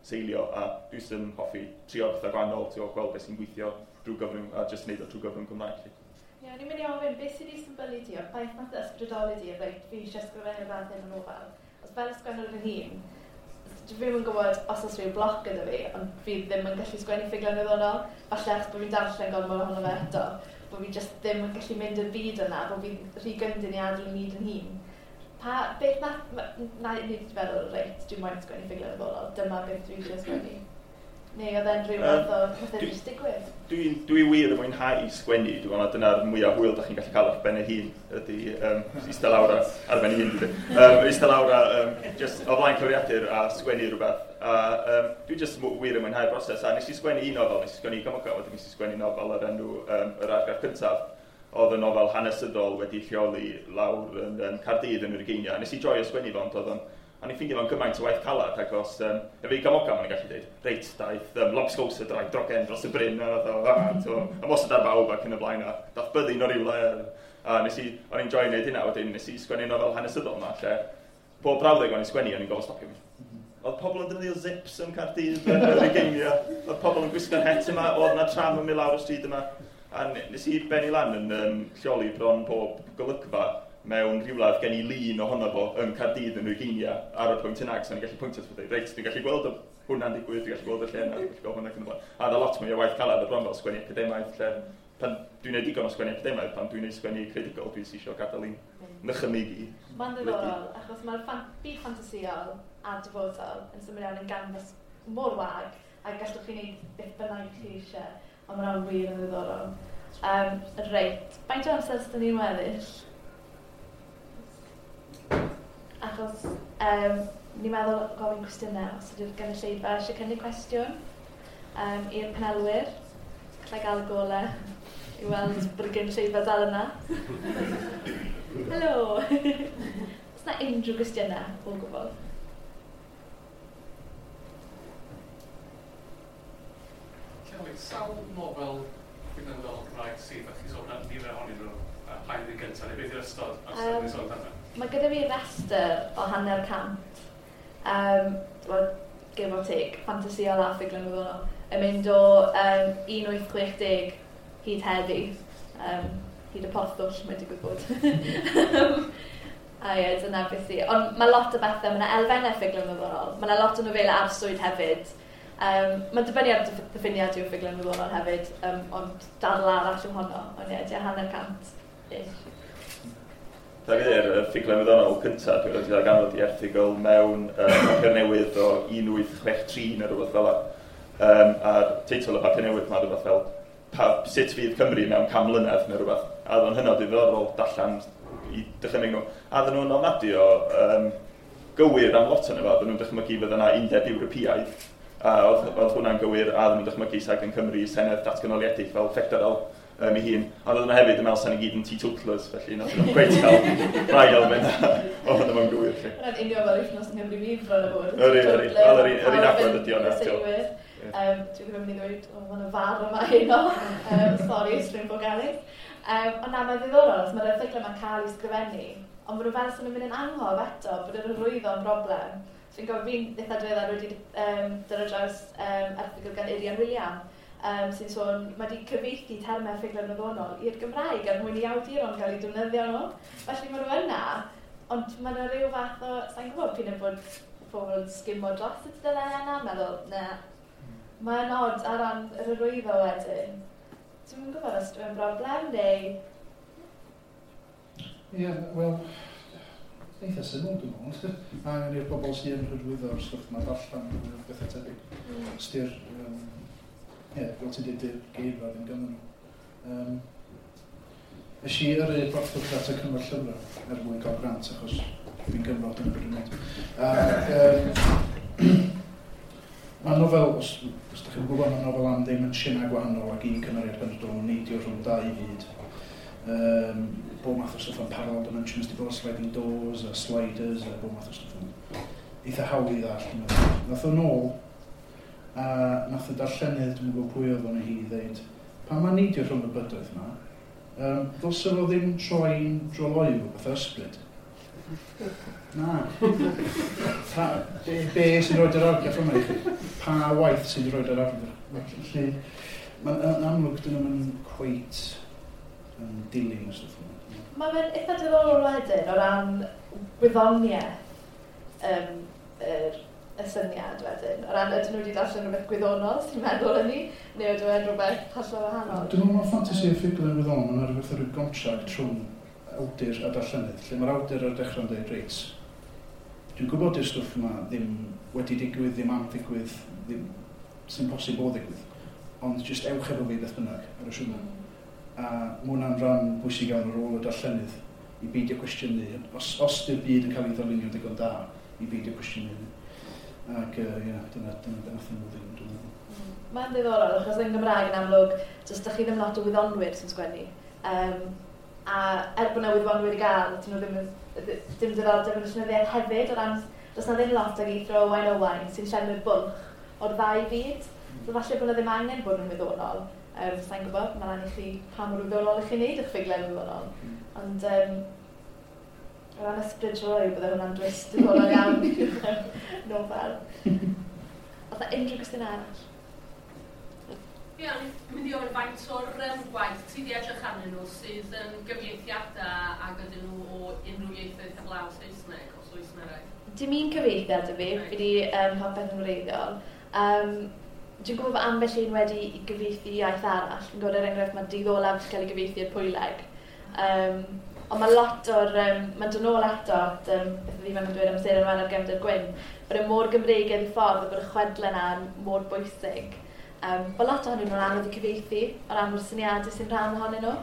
seilio, a dwi sy'n hoffi trio pethau gwahanol, trio gweld beth sy'n gweithio drwy gyfrwng, a jyst wneud o drwy gyfrwng Cymraeg. Ie, o'n i'n mynd i ofyn, beth sydd wedi symbylu ti, o'r ffaith nath ysbrydoli ti, reit, fi eisiau ysgrifennu fath hyn o nofel. Os fel ysgrifennu fy hun, dwi ddim yn gwybod os oes rhyw bloc gyda fi, ond fi ddim yn gallu sgwennu ffuglen wyddonol, falle achos bod fi'n darllen gormod ohono fe eto, bod fi jyst ddim yn gallu mynd i'r byd yna, bod fi'n rhy gyndyn i adael y myd yn hun. Pa, beth nath, na, ni wedi feddwl, reit, dwi'n moyn sgwennu ffuglen wyddonol, dyma beth dwi eisiau sgwennu. Neu oedd e'n rhyw fath o pethau jyst digwydd? Dwi wir yn mwynhau sgwennu, dwi'n meddwl dyna'r mwyaf hwyl da chi'n gallu cael ar ben ei hun, ydy eistedd lawr ar ben ei hun, dwi'n eistedd lawr a just o flaen cyfrifiadur a sgwennu rhywbeth. A dwi jyst wir yn mwynhau'r broses, a nes i sgwennu un nofel, nes i sgwennu Gomoga, wedyn nes i sgwennu nofel ar enw Yr Argraff Cyntaf, oedd y nofel hanesyddol wedi lleoli lawr yn Caerdydd yn yr ugeiniau. Nes i joio sgwennu fo, ond oedd o'n a ni'n ffeindio fo'n gymaint o waith calad, ac os, efo i Gomoga, ma'n gallu dweud, reit, daeth lobsgows y draig drogen dros y bryn, a ymosod ar bawb ac yn y blaen, a dath byddin o rywle, a nes i, o'n i'n joio wneud hynna, wedyn nes i sgwennu nofel hanesyddol yma, lle pob brawddeg o'n i'n sgwennu, o'n i'n gofod stopio mi. Oedd pobl yn defnyddio zips yn Caerdydd yn yr ugeiniau, oedd pobl yn gwisgo'r het yma, oedd yna tram yn mynd lawr y stryd yma, a nes i bennu lan yn lleoli bron pob golygfa mewn rhywle oedd gen i lun ohono fo yn Caerdydd yn ugeiniau ar y pwynt yna, so o'n i'n gallu pwyntio at dweud, reit, dwi'n gallu gweld hwnna'n digwydd, dwi'n gallu gweld y lle yna, dwi'n gallu gweld hwnna ac yn y blaen. A oedd lot mwy o waith calad y bron fel sgwennu academaidd, lle pan dwi'n gwneud digon o sgwennu academaidd, pan dwi'n gwneud sgwennu creadigol, dwi'n eisiau gadael i'n nychymyg i. Mae'n ddiddorol, achos mae'r byd ffantasïol a dyfodol yn symud iawn yn ganfas mor wag, a gallwch chi wneud beth bynnag chi eisiau, ond mae'n wir yn ddiddorol. Reit, faint o amser sydd ni'n weddill? Achos ni'n meddwl gofyn cwestiynau, os ydy'r gynulleidfa eisiau cynnig cwestiwn i'r panelwyr. Gallai gael y golau i weld bod y gynulleidfa dal yna. Helo! Oes na unrhyw gwestiynau o gwbl? Kelly, sawl nofel ffuglen Cymraeg sydd, a chi sôn am nifer ohonyn nhw, pa un gyntaf, neu beth yw'r ystod amser ni'n sôn amdano? Mae gyda fi restr o 150, give or take, ffantasïol a ffuglen wyddonol, yn mynd o 1860 hyd heddi, hyd y porthwll, mae'n digwydd bod. A ie, dyna beth i. Ond mae lot o bethau, mae yna elfennau ffuglen wyddonol, mae yna lot o nofelau arswyd hefyd. Mae'n dibynnu ar diffiniad yw ffuglen wyddonol hefyd, ond dadl arall yw honno, ond ie, 150-ish. Da fi ddeud, y ffuglen wyddonol cyntaf, dwi'n wedi darganfod i erthygl mewn papur newydd o 1863 neu rhywbeth fel 'na. A'r teitl y papur newydd ma rhywbeth fel sut fydd Cymru mewn 100 mlynedd neu rhywbeth. A oedd o'n hynod ddiddorol darllen i dychymyg nhw. A oedden nhw'n ofnadwy o gywir am lot o'n efo. Oedden nhw'n dychmygu fydda yna undeb Ewropeaidd. A oedd hwnna'n gywir, a oedden nhw'n dychmygu sag yn Cymru senedd datganoliedig fel ffederal ei hun. A oedden nhw hefyd yn meddwl sa'n i gyd yn teetotalers, felly nath nhw'n cweit cael rhai elfen o hwnna mewn gywir. Hwnna'n union fel wythnos yng Nghymru Fydd bron o fod. Yr un agwedd ydi o'na. Dwi ddim yn mynd i ddweud, o, mae'n y far yma heno. Sori, Stryn Bogalis. Ond na, mae'n ddiddorol, os mae'r erthyglau yma'n cael ei sgrifennu, ond maen nhw fel sy'n mynd yn angof eto, bod yr hyrwyddo yn broblem. Fi'n gofio fi'n eitha diweddar wedi dod ar draws erthygl gan Irian William, sy'n sôn, mae wedi cyfieithu termau ffuglen wyddonol i'r Gymraeg er mwyn i awduron gael eu defnyddio nhw. Felly maen nhw yna, Ond mae yna rhyw fath o, sa'n gwybod pyn bod pobl yn sgimo dros y tudalennau yna, meddwl, na. Mae'n od ar ran yr hyrwyddo wedyn. Dwi'm yn gwybod os dwi'n broblem neu... Ie, yeah, wel, eitha syml dwi'n meddwl. Mae angen i'r bobl sy'n hyrwyddo'r stwff yma darllen bethau tebyg. Styr, ie, fel ti'n dweud, dy'r geirfa ddim ganddyn nhw. Nes i yrru porthwch at y Cyngor Llyfrau er mwyn cael grant, achos dwi'n Gymro, dyna beth dwi'n gwneud. Mae nofel, os ydych chi'n gwybod, mae nofel am ddimensiynau gwahanol ac un cymeriad penodol yn neidio rhwng dau fyd. Bob math o stwff am parallel dimensions, di bod sliding doors a sliders a bob math o stwff am eitha hawdd i ddallt, dwi'n meddwl. Nath o nôl, a nath y darllenydd, dwi'n gwybod pwy oedd o'n hi, ddeud, pan mae'n neidio rhwng y bydoedd yma, ddylse fo ddim troi'n droloyw fatha ysbryd? Na. Be sy'n rhoi yr argraff yma i chi? Pa waith sy'n rhoi yr argraff? Felly, mae'n amlwg dyn nhw'n cweit yn dilyn y stwff yma. Mae fe'n eitha diddorol wedyn o ran gwyddoniaeth y syniad wedyn. O ran ydyn nhw wedi darllen rhywbeth gwyddonol sy'n meddwl hynny, neu ydw e'n rhywbeth hollol wahanol? Dwi'n meddwl mae ffantasi a ffuglen wyddonol, mae'n rhywbeth o ryw gontract rhwng awdur a darllenydd, lle mae'r awdur ar dechrau'n dweud, reit, dwi'n gwybod i'r stwff yma ddim wedi digwydd, ddim am ddigwydd, ddim sy'n posib o ddigwydd, ond jyst ewch efo fi beth bynnag ar y siwrne. A mae hwnna'n rhan bwysig iawn ar ôl y darllenydd i beidio cwestiynu. Os di'r byd yn cael ei ddylunio digon da, i beidio cwestiynu hynny. Ac ie, dyna beth nath nhw ddim, dwi'n meddwl. Mae'n ddiddorol, achos yn Gymraeg yn amlwg, jyst dych chi ddim lot o wyddonwyr sy'n sgwennu. A er bod yna wyddonwyr i gael, dyn nhw ddim, dim diddordeb yn y llenyddiaeth hefyd, o ran, does na ddim lot ag eithro Owain Owain sy'n llenwi'r bwlch o'r ddau fyd. So falle bod yna ddim angen bod yn wyddonol. Sa'n gwybod, mae'n lan i chi pa mor wyddonol i chi wneud eich ffuglen wyddonol. Ond o ran ysbryd troi, bydde hwnna'n dwist diddorol iawn nofel. Oedd yna unrhyw gwestiwn arall? Ie, o'n i'n mynd i ofyn faint o'r gwaith ti wedi edrych arnyn nhw sydd yn gyfieithiadau ac ydyn nhw o unrhyw ieithoedd heblaw Saesneg, os oes yna rai? Dim un cyfieithiad y fi, fi wedi popeth yn wreiddiol. Dwi'n gwybod bod ambell un wedi i gyfieithu iaith arall. Fi'n gwybod er enghraifft mae Dydd Olaf wedi cael ei gyfieithu i'r Pwyleg. Ond mae lot o'r... mae'n dod nôl eto at beth oedd Ifan yn dweud am Seren Wen a'r Gefnder Gwyn, bod e mor Gymreigaidd i ffordd a bod y chwedlau yna mor bwysig. Mae lot ohonyn nhw'n anodd i cyfieithu o ran o'r syniadau sy'n rhan ohonyn nhw.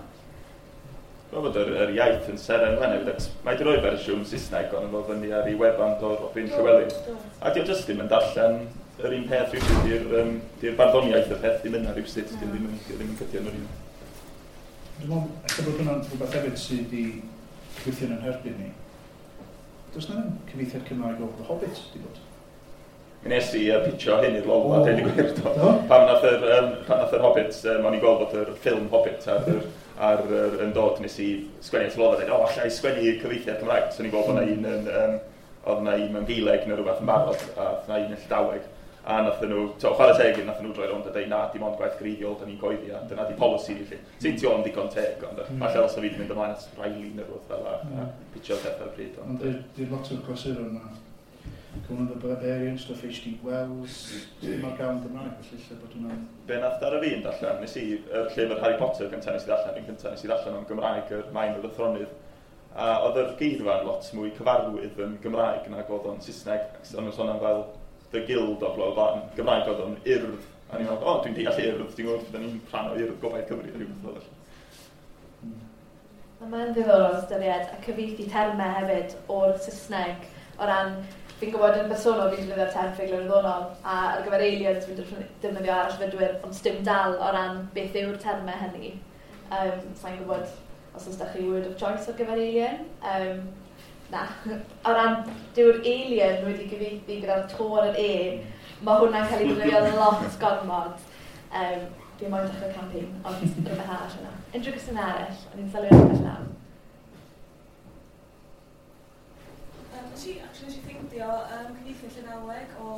Dwi'n meddwl bod yr iaith yn Seren Wen hefyd, mae wedi rhoi fersiwn Saesneg ond efo fyny ar ei wefan do Robin Llywelyn. A di o jyst ddim yn darllen yr un peth rhywsut, di'r barddoniaeth y peth ddim yna rhywsut, di ddim yn cydio yn yr un. Dwi'n meddwl, ella bod hwnna'n rhywbeth hefyd sydd wedi gweithio yn herbyn ni. Does na ddim cyfieithiad Cymraeg o The Hobbit, di bod? Mi nes i pitio hyn i'r Lolfa, deud y gwir, do. Pan nath yr Hobbit, o'n i'n gweld bod yr ffilm Hobbit ar yn dod, nes i sgwennu at Lolfa, dweud, o, alla i sgwennu cyfieithiad Cymraeg. So o'n i'n gweld bod yna un yn, oedd yna un mewn Gaeleg neu rhywbeth yn barod, a oedd yna un yn Llydaweg. A nath nhw, chwarae teg, nath nhw droi rownd a dweud, na, dim ond gwaith greiddiol, da ni'n coeddi, a dyna di polisi ni, lle. Sy'n ti o'n digon teg, ond falle os o fi wedi mynd ymlaen at Riley neu rhywbeth fel a pitio'r peth ar y pryd. Ond di'r lot o'r clasuron yma, Conan the Barbarian, stwff H.D. Wells, ddim ar gael yn Gymraeg, felly lle bod hwnna'n... Be nath ar y fi yn darllen, nes i, yr llyfr Harry Potter gyntaf nes i ddarllen, un cyntaf nes i ddarllen o'n Gymraeg, yr Maen o'r Athronydd, a oedd yr geirfa'n lot mwy cyfarwydd yn Gymraeg nag oedd o'n Saesneg, o'n nhw'n sôn am fel The Guild o bla bla, Gymraeg oedd o'n Urdd, a ni'n meddwl, o, dwi'n deall Urdd, dwi'n gwybod, da ni'n rhan o Urdd Gobaith Cymru, rhywbeth fel felly. Mae'n ddiddorol ystyried a cyfieithu termau hefyd o'r Saesneg o ran, fi'n gwybod yn bersonol fi'n defnyddio'r term ffuglen wyddonol, a ar gyfer aliens fi'n defnyddio arallfydwyr, ond sdim dal o ran beth yw'r termau hynny. Sa'n gwybod os oes da chi word of choice ar gyfer alien. Na, o ran dyw'r alien wedi gyfieithu gyda'r to ar yr E, mae hwnna'n cael ei defnyddio lot gormod. Fi moyn dechrau campaign, ond rhywbeth arall yna. Unrhyw gwestiwn arall, o'n i'n sylwi ar rhywbeth nawr. Nes i ffeindio cyfieithu Llydaweg o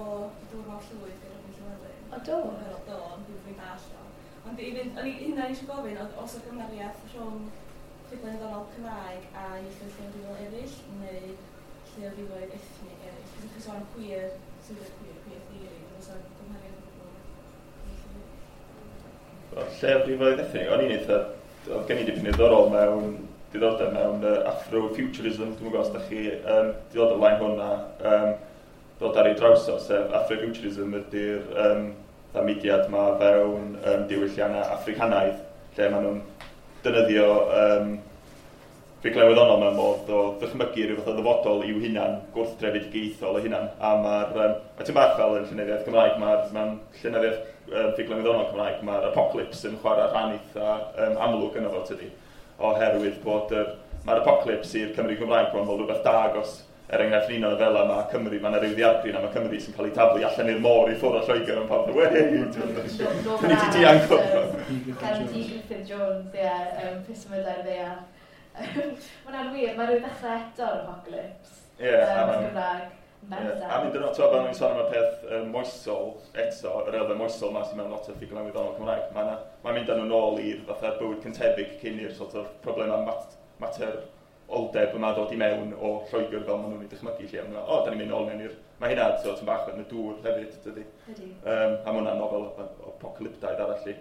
Dŵr Mawr Llwyd gan Robin Llywelyn. O, do? Do, ond dwi'n fwy dall o. Ond i fynd, o'n i hynna eisiau gofyn, oedd os o gymeriaeth rhwng ffuglen wyddonol Cymraeg a ieithoedd lleiafrifol eraill neu lleiafrifoedd ethnig eraill? Ydych chi'n sôn am queer, sydd queer, queer theory, oes 'na gymhariaeth o gwbl? Lleiafrifoedd ethnig, o'n i'n eitha, oedd gen i dipyn diddorol mewn, diddordeb mewn Afrofuturism, dwi'n gwybod os da chi diddordeb lain hwnna, dod ar ei draws o, sef Afrofuturism ydy'r mudiad ma fewn diwylliannau Africanaidd, lle maen nhw'n defnyddio ffuglen wyddonol mewn modd o ddychmygu rhyw fath o ddyfodol i'w hunan, gwrthdrefedigaethol eu hunan. A mae'r, mae ti'n bach fel yn llenyddiaeth Cymraeg, mae'r mewn llenyddiaeth ffuglen wyddonol Cymraeg, mae'r apocalypse yn chwarae rhan eitha amlwg yno fo, tydi. Oherwydd bod mae'r apocalypse i'r Cymry Cymraeg bron fel rhywbeth da agos. Er enghraifft un o'r nofela, mae Cymru, mae yna rhyw ddiargryn am y Cymru sy'n cael ei taflu allan i'r môr i ffwrdd o Lloegr yn pawb, wei, ni ti dianc o'r Gan T. Griffith Jones, ie, Pysmydau'r Ddaear. Mae hwnna'n wir, mae rhyw ddechrau eto'r apocalypse. Ie, Gymraeg. A mynd yn o'r, fel ni'n sôn am y peth moesol eto, yr elfen moesol ma sy'n mewn lot o ffuglen wyddonol Cymraeg, mae'n mynd â nhw nôl i'r fatha bywyd cyntefig cyn i'r sort of problemau mater oldeb yma ddod i mewn o Lloegr fel maen nhw'n ei dychmygu lle. Maen nhw, o, da ni'n mynd nôl mewn i'r... Mae hynna, so, ti'n bach yn y dŵr hefyd, dydy. Ydy. A mae hwnna'n nofel apocalyptaidd arall i.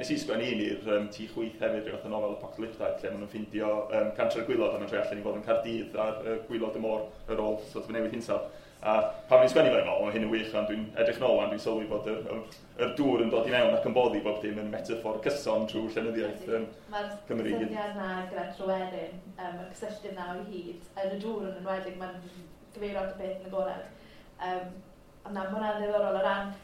Nes i sgwennu un i'r Tŷ Chwith hefyd, rhyw fath o nofel apocalyptaidd, lle maen nhw'n ffindio Cantre'r Gwaelod a maen troi allan i fod yn Caerdydd ar gwaelod y môr ar ôl sort of newid hinsawdd. A pan o'n i'n sgwennu fe, o, mae hyn yn wych, ond dwi'n edrych nôl wan, dwi'n sylwi bod yr dŵr yn dod i mewn ac yn boddi bob dim yn metaphor cyson trwy llenyddiaeth Mae'r Cymru. syniad na gyda Tryweryn, mae'r cysylltiad na o hyd, yn y dŵr yn enwedig, mae'n gyfeirio at y peth yn agored. Ond na, mae hwnna'n ddiddorol o ran y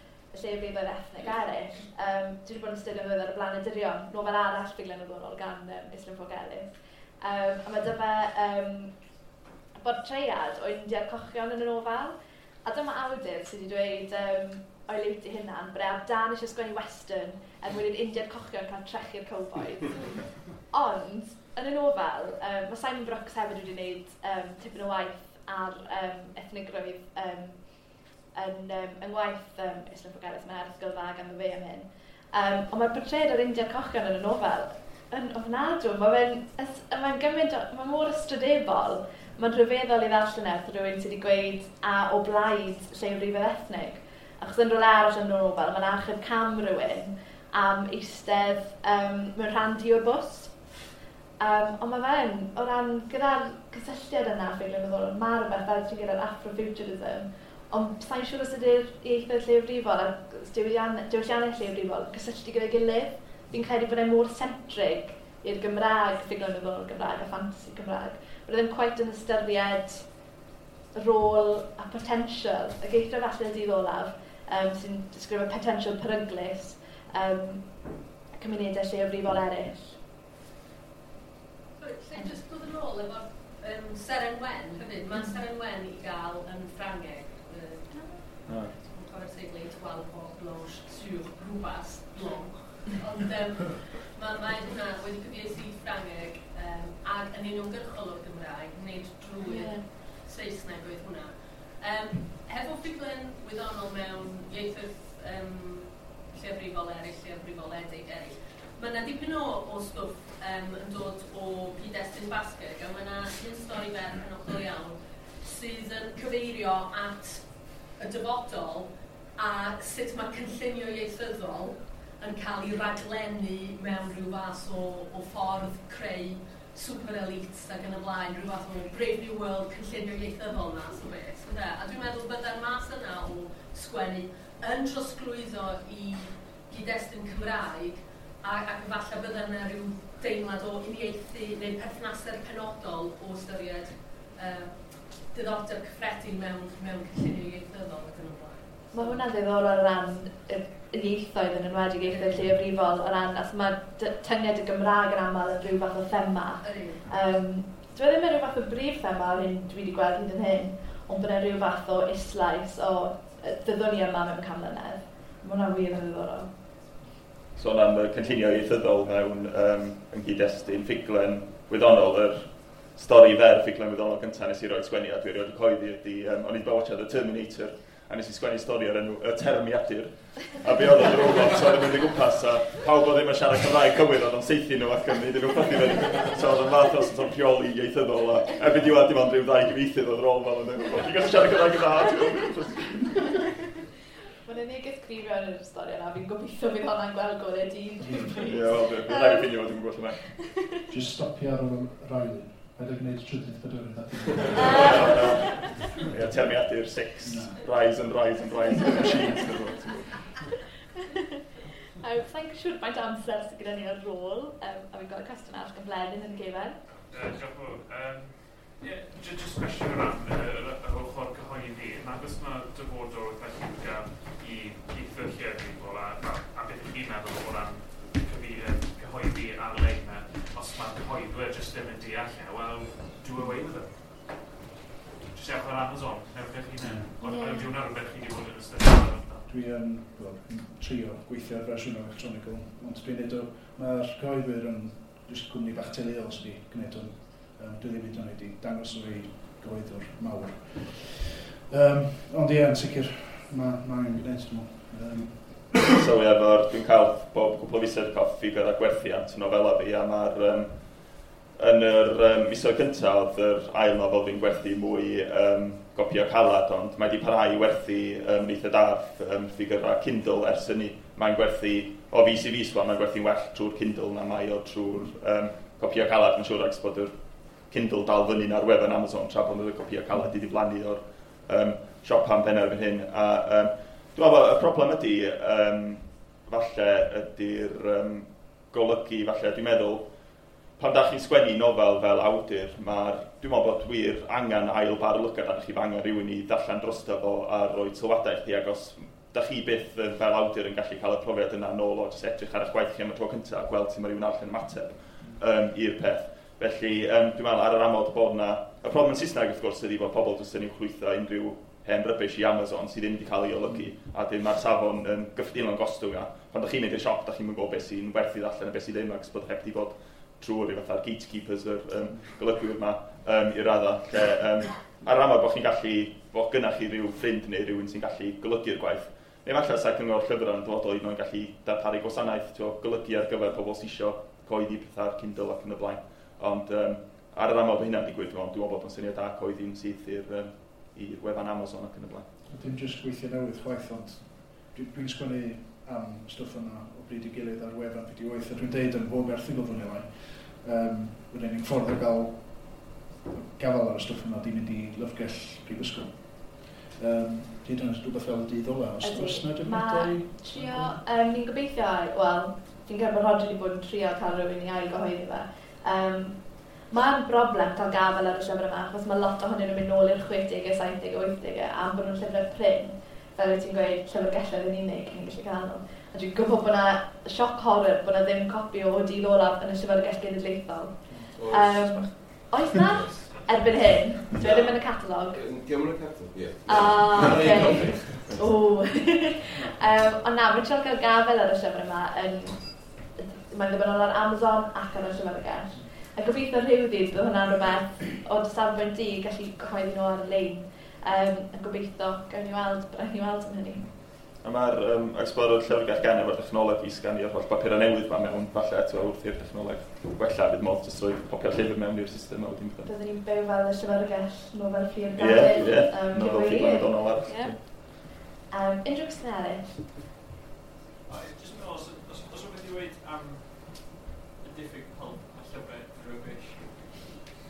llefrifedd ethnig eraill. Dwi wedi bod yn astudio ddiweddar y Blanedurion, nofel arall ffuglen wyddonol gan Islwyn Ffowc Elis. A mae dyma bortread o Indiaid Cochion yn y nofel. A dyma awdur sydd wedi dweud o'i liwt ei hunan, bod e ar dan eisiau sgwennu western er mwyn i'r Indiaid Cochion cael trechu'r cowboys. Ond, yn y nofel, mae Simon Brooks hefyd wedi gwneud tipyn o waith ar ethnigrwydd yn ngwaith Islwyn Ffowc Elis, mae'n erthygl dda ganddo fe am hyn. Ond mae'r portread o'r Indiaid Cochion yn y nofel yn ofnadw. Mae'n gymaint, mae mor ystrydebol. Mae'n rhyfeddol i ddarllen e wrth rhywun sydd wedi gweud a o blaid lleifrifedd ethnig. Achos yn rhywle arall yn y nofel, mae'n achub cam rhywun am eistedd mewn rhan du o'r bws. Ond mae fe'n, o ran gyda'r cysylltiad yna, ffuglen wyddonol, mae rhywbeth fel ti'n gyda'r Afrofuturism, ond sa'n siŵr os ydy'r ieithoedd lleifrifol a'r diwylliannau lleifrifol cysylltu gyda'i gilydd. Fi'n credu bod e mor centrig i'r Gymraeg, ffuglen wyddonol Gymraeg a ffantasi Cymraeg. Bod e ddim quite yn ystyried rôl a potential, y geithio falle y dydd olaf, sy'n disgrifio potential peryglus cymunedau lleiafrifol eraill. Sorry, lle jyst dod yn ôl efo'r Seren Wen hefyd. Mae Seren Wen i gael yn Ffrangeg. Dwi'n cofio'r teitl Étoile Blanche sur rhywbeth blanc. Ond mae hwnna wedi cyfieithu i Ffrangeg ac yn uniongyrchol o'r Gymraeg, nid drwy'r Saesneg oedd hwnna. Hefo ffuglen wyddonol mewn ieithoedd lleiafrifol eraill, lleiafrifoledig eraill, mae yna dipyn o stwff yn dod o gyd-destun Basgeg, a mae yna un stori fer penodol iawn sydd yn cyfeirio at y dyfodol a sut mae cynllunio ieithyddol yn cael ei raglennu mewn rhyw fath o ffordd creu super elites ac yn y blaen, rhyw fath o Brave New World cynllunio ieithyddol math o beth. Ynde? A dwi'n meddwl byddai'r mas yna o sgwennu yn trosglwyddo i gyd-destun Cymraeg ac falle bydda yna rhyw deimlad o uniaethu neu perthnasedd penodol o ystyried diddordeb cyffredin mewn cynllunio ieithyddol ac yn y blaen. Mae hwnna'n ddiddorol o ran yr ieithoedd yn enwedig ieithoedd lleiafrifol, o ran, as mae tynged y Gymraeg yn aml yn rhyw fath o thema. Dwi ddim yn rhyw fath o brif thema o'r hyn dwi wedi gweld hyd yn hyn, ond bod yna rhyw fath o islais o fyddwn ni yma mewn 100 mlynedd. Mae hwnna'n wir yn ddiddorol. Sôn am y cynllunio ieithyddol mewn yn gyd-destun ffuglen wyddonol, yr stori fer ffuglen wyddonol gyntaf nes i roi sgwennu a dwi erioed wedi cyhoeddi ydy, o'n i wedi bod watchad The Terminator, a nes i sgwennu stori o'r enw Y Termiadur. A be oedd o'n robot oedd yn mynd i gwmpas, a pawb oedd ddim yn siarad Cymraeg cywir, oedd o'n saethu nhw ac yn neud nhw chwythu fyny. So oedd o'n fath o sort of rheoli ieithyddol, a erbyn diwedd dim ond rhyw ddau gyfieithydd oedd rôl fel yn dweud, ti'n gallu siarad Cymraeg yn dda, Mae'n y neges cryf iawn yn yr stori yna, fi'n gobeithio fydd hwnna'n gweld golau dydd. Ie, wel, bydd rhaid i ffindio fo, dwi'n gwybod lle mae. Just stopio ar ôl yr ail un. Paid â gwneud trydydd pedwerydd a Ie, Terminator 6, rise and rise and rise of the machines. Sa'n siŵr faint o amser sydd gyda ni ar ôl, a fi'n gweld cwestiwn arall gan Bleddyn yn y gefen. Diolch yn fawr. Ie, just cwestiwn o ran yr ochr cyhoeddi. Nag oes yna dyfodol eitha lliwgar i ieithoedd lleiafrifol a beth ydych chi'n meddwl o ran cyhoeddi ar-lein, os mae'r cyhoeddwyr jyst ddim yn deall e, wel, do away with it. Jyst ewch ar Amazon, newch eich hunain. Ond ydy hwnna rhywbeth chi wedi bod yn ystyried? Dwi yn trio gweithio ar fersiwn electronic, ond dwi'n neud o, mae'r cyhoeddwyr yn jyst cwmni bach teuluol sydd wedi gwneud hwn. Dwi ddim hyd yn oed wedi dangos o i gyhoeddwr mawr. Ond ie, yn sicr, mae angen gwneud, dwi'n meddwl. So ie, dwi'n cael bob cwpl o fisoedd cael ffigur a gwerthiant nofela fi, a mae'r yn yr misoedd cyntaf oedd yr ail nofel fi'n gwerthu mwy gopio calad, ond mae wedi parhau i werthu eitha da ffigurau Kindle ers hynny. Mae'n gwerthu o fis i fis, mae'n gwerthu'n well trwy'r Kindle na mae o trwy'r copio calad, mae'n siŵr, ac bod yr Kindle dal fyny ar wefan Amazon tra bod y copio calad wedi diflannu o'r siop am ben erbyn hyn. A, dwi'n meddwl y broblem ydy, falle ydy'r golygu, falle dwi'n meddwl, pan da chi'n sgwennu nofel fel awdur, dwi'n meddwl bod wir angen ail bar lygad arnoch chi, angen rhywun i ddarllen drosto fo a rhoi sylwadau i chi, ac os da chi byth fel awdur yn gallu cael y profiad yna nôl o jyst edrych ar eich gwaith chi am y tro cyntaf a gweld sut mae rhywun arall yn ymateb i'r peth. Felly, dwi'n meddwl ar yr amod bod yna... Y problem yn Saesneg, wrth gwrs, ydy bod pobl jyst yn uwchlwytho unrhyw hen rubbish i Amazon sydd ddim wedi cael ei olygu, a dim mae'r safon yn gyffredinol yn gostwng. A pan da chi'n mynd i'r siop, da chi'n gwybod beth sy'n werth i ddarllen a beth sydd ddim, ac bod heb di bod trwy'r rhyw fatha'r gatekeepers yr golygwyr yma i'r radda. Lle, ar yr amod bod chi'n gallu, bod gynnach chi rhyw ffrind neu rhywun sy'n gallu golygu'r gwaith. Neu falle sa cyngor llyfrau yn dyfodol hyd yn oed yn gallu darparu gwasanaeth, golygu ar gyfer pobl sy'n isio cyhoeddi pethau ar Kindle ac yn y blaen. Ond ar yr amod bod hynna'n digwydd, dwi'n meddwl bod o'n syniad da cyhoeddi'n syth i'r wefan Amazon ac yn y blaen. Dim jyst gweithio newydd chwaith, ond dwi'n sgwennu am stwff yna o bryd i gilydd ar wefan Fideo 8, a dwi'n deud yn bob erthygl fwy neu lai. Yr unig ffordd o gael gafal ar y stwff yma di mynd i lyfrgell prifysgol. Hyd yn oed rhywbeth fel y dydd ola, os na defnyddiau? Trio, ni'n gobeithio, wel, fi'n credu bod Rhodri wedi bod yn trio cael rhywun i ail gyhoeddi fe. Mae'n broblem cael gafael ar y llyfr yma, achos mae lot ohonyn nhw'n mynd nôl i'r 60au, 70au, 80au, am bod nhw'n llyfrau prin. Fel wyt ti'n gweud, llyfrgelloedd yn unig ni'n gallu cael nhw. A dwi'n gwybod bod yna sioc horror bod yna ddim copi o Dydd Olaf yn y Llyfrgell Genedlaethol. Oes na? Erbyn hyn? Dwi ddim yn y catalog. Diolch yn y catalog, ie. Ah, oce. Ond na, mae'n trio cael gafael ar y llyfr yma yn... Mae'n ddibynnol ar Amazon ac ar y llyfrgell. A gobeithio rhyw ddydd bydd hwnna'n rhywbeth o dy safbwynt di gallu cyhoeddi nhw ar-lein. A gobeithio gawn ni weld, bydd ni weld am hynny. A mae'r Explorer llyfrgell gen efo'r technoleg i sganio'r holl bapurau newydd ma mewn, falle eto wrth i'r technoleg gwella, fydd modd jyst rhoi popio'r llyfr mewn i'r system a wedyn bydd. Byddwn ni'n byw fel y llyfrgell nofel Fflur Dafydd. Ie, nofel Fflur Dafydd arall. Unrhyw gwestiwn eraill? Jyst yn meddwl, os rhywbeth i weud am y diffyg pulp a llyfrau rubbish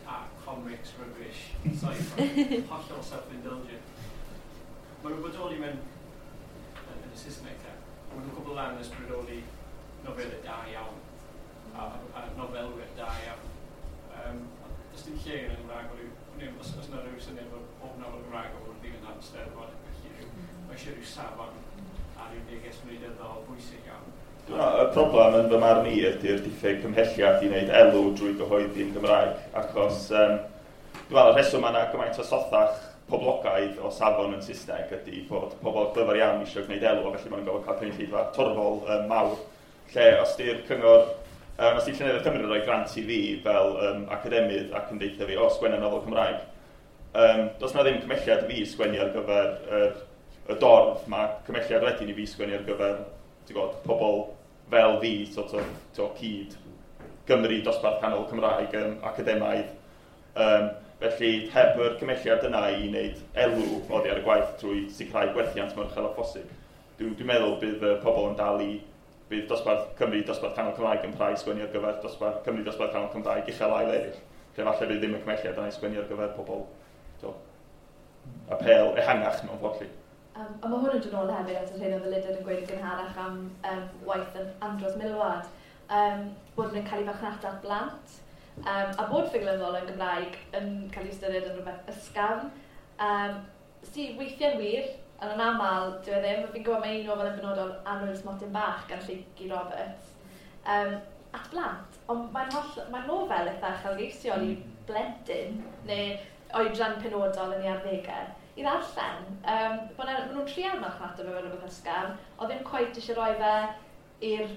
a comics rubbish, sci-fi, hollol self-indulgent. Mae nhw'n bodoli mewn yn y Saesneg te. Mae nhw'n cwbl lan ysbrydoli nofelau da iawn a nofelwyr da iawn. Does dim lle yn y Gymraeg, os yna rhyw syniad bod pob nofel Gymraeg o'r ddigon am Steddfod, felly mae eisiau rhyw safon a rhyw neges wleidyddol bwysig iawn. Y problem yn fy marn i ydy'r diffyg cymhelliad i wneud elw drwy gyhoeddi yn Gymraeg, achos dwi'n meddwl y rheswm yna gymaint o sothach poblogaidd o safon yn Saesneg ydy bod pobl glyfar iawn eisiau gwneud elw, a felly maen nhw'n gorfod cael cynulleidfa torfol mawr, lle os di'r cyngor, os di Llenyddiaeth Cymru yn rhoi grant i fi fel academydd ac yn deitha fi, o, sgwenna nofel Cymraeg, does na ddim cymhelliad i fi sgwennu ar gyfer y dorf, mae cymhelliad wedyn i fi sgwennu ar gyfer, ti'n gwybod, pobl fel fi, sort of, cyd Gymru dosbarth canol Cymraeg academaidd. Felly, heb yr cymelliad yna i wneud elw oddi ar y gwaith trwy sicrhau gwerthiant mor uchel â phosib, dwi'n meddwl bydd pobl yn dal i, bydd dosbarth Cymru, dosbarth canol Cymraeg yn parhau sgwennu ar gyfer dosbarth Cymru, dosbarth canol Cymraeg uchel ail eraill. Lle falle bydd ddim y cymelliad yna i sgwennu ar gyfer pobl apêl ehangach mewn ffordd lly. A mae hwn yn dod nôl hefyd at yr hyn oedd Elidyr yn gweud yn gynharach am waith yn Andros Milward, bod nhw'n cael ei farchnata at blant, a bod ffuglenol yn Gymraeg yn cael ei ystyried yn rhywbeth ysgafn, sydd weithiau'n wir, ond yn aml, dyw e ddim. Fi'n gwybod mae un nofel yn benodol, Annwyl Smotyn Bach gan Lleucu Roberts, at blant, ond mae'n mae nofel eitha uchelgeisiol i blentyn neu oedran penodol yn ei arddegau i ddarllen. Bod nhw'n trial marchnata fe fel rhywbeth ysgafn, ond ddim cweit eisiau rhoi fe i'r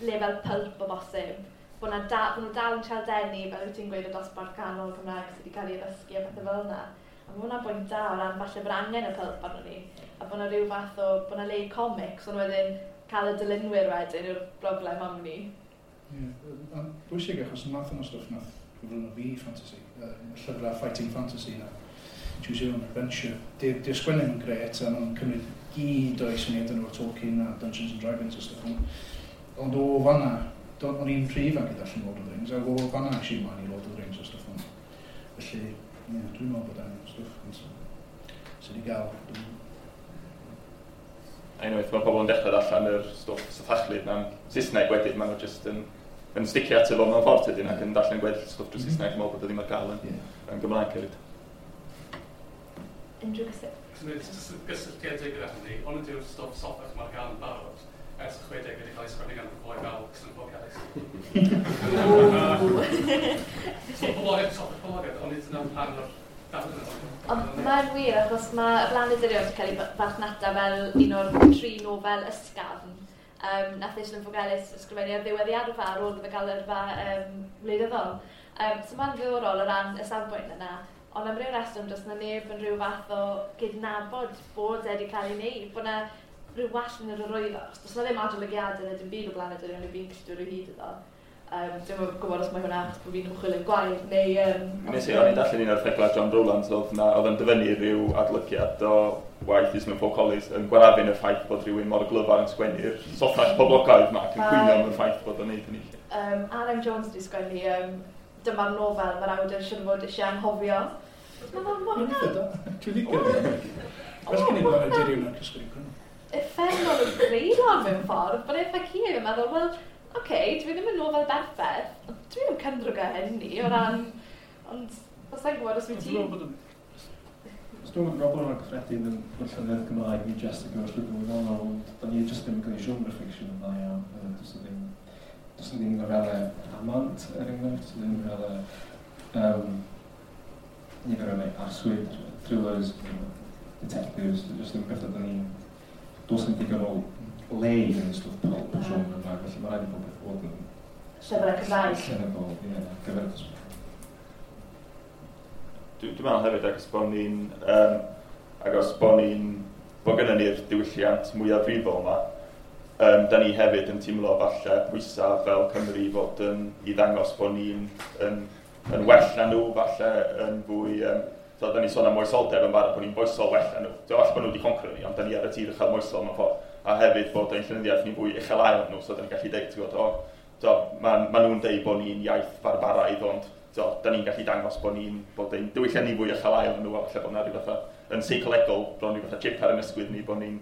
lefel pulp o bosib. Bod nhw dal yn trial denu, fel wyt ti'n gweud, y dosbarth canol Cymraeg sydd wedi cael ei addysgu a pethau fel yna. A mae hwnna'n bwynt da o ran falle bod angen y pulp arno ni, a bod yna rhyw fath o, bod yna le i comics, ond wedyn cael y dylunwyr wedyn yw'r broblem am ni. Ie, yeah, bwysig achos y math yna stwff nath gyflwyno fi fantasy, y llyfrau fighting fantasy na, Choose Your Own Adventure. Di'r sgwennu nhw'n gret a nhw'n cymryd gyd o'i syniadau nhw o Tolkien a Dungeons and Dragons a stwff. Ond o fanna, o'n i'n rhy ifanc i ddarllen Lord of the Rings, ac o fanna es i mlaen i Lord of the Rings a stwff hwn. Felly, ie, dwi'n meddwl bod angen stwff sydd wedi gael. A unwaith mae pobl yn dechrau darllen yr stwff sothachlyd mewn Saesneg wedyn, maen nhw jyst yn sticio ato fo mewn ffordd tydyn ac yn darllen gweddill stwff drwy Saesneg, yn meddwl bod o ddim ar gael yn Gymraeg hefyd. Unrhyw gysylltiad? Gysylltiedig gyda hynny, ond ydyw'r stwff sothach mae'r gael yn barod ers y 60 wedi cael ei sgwennu gan bobl fel Ffowc Elis. So poblogaidd, sothach poblogaidd, ond nid yna'n rhan o'r darlun yna. Ond mae'n wir, achos mae Y Blaned Dirion wedi cael ei farchnata fel un o'r tri nofel ysgafn. Nath Islwyn Ffowc Elis ysgrifennu ar ddiwedd ei yrfa ar ôl iddo fe gael yrfa wleidyddol. So mae'n ddiddorol o ran y safbwynt yna, ond am ryw reswm does na neb yn rhyw fath o gydnabod bod e wedi cael ei wneud, bod na rhyw wall yn yr arwyddo. Does na ddim adolygiadau neu dim byd o Blaned Dirion i fi'n gallu dod o hyd iddo. Dwi'm yn gwybod os mae hwnna achos bod fi'n ymchwilio'n gwael, neu... Nes i, o'n i'n darllen un o'r erthyglau John Rowlands, oedd yn dyfynnu rhyw adolygiad o waith Islwyn Ffowc Elis yn gwarafun y ffaith bod rhywun mor glyfar yn sgwennu'r sothach poblogaidd yma ac yn cwyno am y ffaith bod o'n neud hynny. R.M. Jones wedi sgwennu dyma'r nofel mae'r awdur siŵr o fod eisiau anghofio. Mae'n mor hwnna. Dwi'n licio fe. Well gen i Blaned Dirion na'r Cysgod Cwn. Uffernol o greulon mewn ffordd, bod eitha cul yn meddwl, wel, oce, dwi ddim yn nofel berffaith, ond dwi ddim yn cymryd o hynny o ran, ond os i'n gwybod os wyt ti... Dwi'n meddwl bod y broblem yma gyffredin yn llenyddiaeth Gymraeg, ni jyst yn gyfer llwybr wyddonol, ond da ni jyst ddim yn cael ei genre fiction yn dda iawn. Does ddim nofelau rhamant, er enghraifft, does ddim nofelau nifer o arswyd, thrillers, detectives, jyst ddim beth da ni'n... Does ddim digon o le i yn stwff pulp genre yma, felly mae rhaid i bob beth fod yn llyfrau Cymraeg. Llenyddol, ie, gyfer y dosbarth. Dwi'n meddwl hefyd agos bod ni'n bod gynnon ni'r diwylliant mwyafrifol yma, da ni hefyd yn teimlo falle pwysau fel Cymru fod yn i ddangos bod ni'n yn well na nhw, falle yn fwy... So, da ni'n sôn am moesoldeb yn barod bod ni'n foesol well na nhw. So, falle bod nhw wedi concro ni, ond da ni ar y tir uchel moesol mewn ffordd. A hefyd bod ein llenyddiaeth ni'n fwy uchel ael nhw, so da ni'n gallu deud, ti'n gwybod, ma nhw'n deud bod ni'n iaith barbaraidd, ond da ni'n gallu dangos bod bod ein diwylliant ni fwy uchel ael nhw, a falle bod na rhyw fatha yn seicolegol, bron rhyw fatha chip ar yn ysgwydd ni, bod ni'n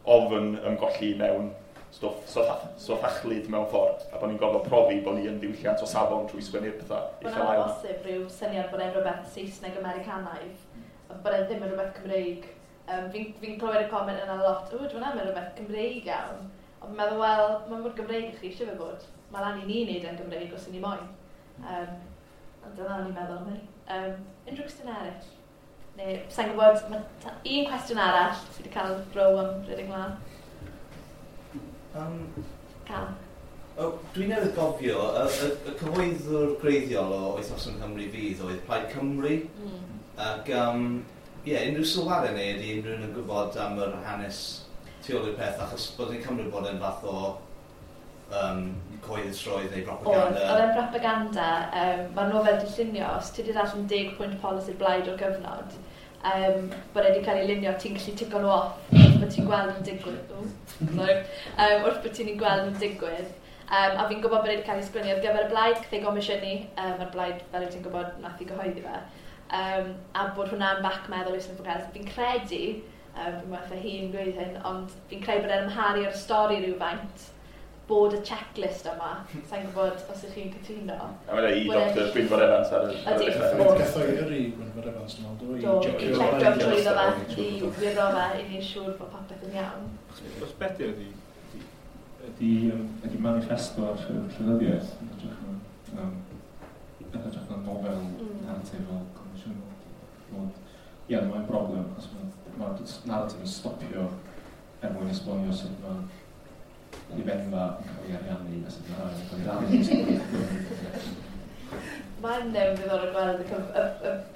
ofn ymgolli mewn stwff sothachlyd mewn ffordd, a bod ni'n gorfod profi bod ni yn ddiwylliant o safon trwy sgwennu'r pethau uchel ael. Bod yna bosib rhyw syniad bod e'n rhywbeth Saesneg Americanaidd, bod e ddim yn rhywbeth Cymreig. Fi'n clywed y comment yna lot, o, dwi'n am rhywbeth Cymreig iawn. Ond fi'n meddwl, wel, mae'n mor Gymreig i chi eisiau fe bod. Mae lan i ni wneud e'n Gymreig os i ni moyn. Ond dyna o'n i'n meddwl am hynny. Unrhyw cwestiwn arall? Neu, sa'n gwybod, mae un cwestiwn arall sydd wedi cael row am rhedeg mlaen. Cal. Dwi'n newydd gofio, y cyhoeddwr gwreiddiol o Wythnos yng Nghymru Fydd oedd Plaid Cymru. Ac, ie, unrhyw sylwadau neu ydy unrhyw un yn gwybod am yr hanes tu ôl i'r peth, achos bod ni'n cymryd bod e'n fath o cyhoeddusrwydd neu propaganda? Oedd e'n propaganda. Mae'r nofel di llunio, os ti wedi darllen 10 pwynt polisi'r blaid o'r gyfnod, bod e wedi cael ei lunio, ti'n gallu tico nhw off wrth bod ti'n gweld yn digwydd. Wrth bod ti'n gweld yn digwydd. A fi'n gwybod bod e wedi cael ei sgwennu ar gyfer y blaid, cath ei gomisiynu, mae'r blaid, fel wyt ti'n gwybod, nath i gyhoeddi fe. A bod hwnna'n bac meddwl i Sniffle Kells. Fi'n credu, fi'n meddwl hi'n gweud hyn, ond fi'n credu bod e'n amharu ar y stori rhywfaint bod y checklist yma. Sa'n gwybod os ydych chi'n cytuno. A mae'n i Dr Gwynfor Evans ar y Ydy. Gath o'i yrru Gwynfor Evans, dwi'n meddwl, do, Do, i i checio checio trwyddo fe, i wiro fe, i ni'n siŵr bod popeth yn iawn. Os beth ydy, ydy manifesto ar ffurf llenyddiaeth yn hytrach na, yn hytrach na nofel narratif fel confensiynol. Ond, ie, mae'n broblem, achos mae'r narratif yn stopio er mwyn esbonio sut mae hufenfa yn cael ei ariannu a sut mae arian yn cael ei rannu. Mae'n ddiddorol gweld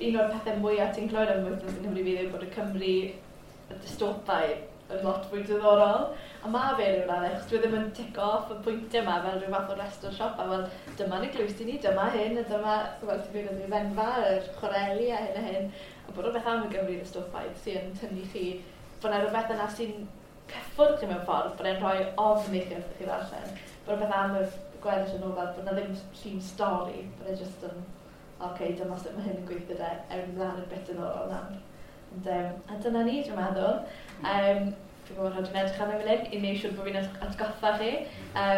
un o'r pethau mwyaf ti'n clywed am wythnos yng Nghymru Fydd yw bod y Cymru y dystopaidd yn lot fwy diddorol. A mae fe ryw raddau, achos dwi ddim yn tick off y pwyntiau yma fel rhyw fath o restr siopa. Wel, dyma'n eglwysi ni, dyma hyn, a dyma, wel, ti'n mynd yn hufenfa, yr chwareli a hyn a hyn. A bod rhywbeth am y Gymru dystopaidd sy'n tynnu chi, bod yna rhywbeth yna sy'n cyffwrdd chi mewn ffordd, bod e'n rhoi ofn i chi wrth i chi ddarllen. Bod rhywbeth am y gweddill y nofel, bod yna ddim llun stori, bod e jyst yn, oce, okay, dyma sut mae hyn yn gweithio de, ewn mlaen i'r bit diddorol nawr. Ond, a dyna ni, dwi'n meddwl. Fi'n gwybod rhaid i'n edrych arno fel hyn, i wneud siŵr bod fi'n atgoffa chi,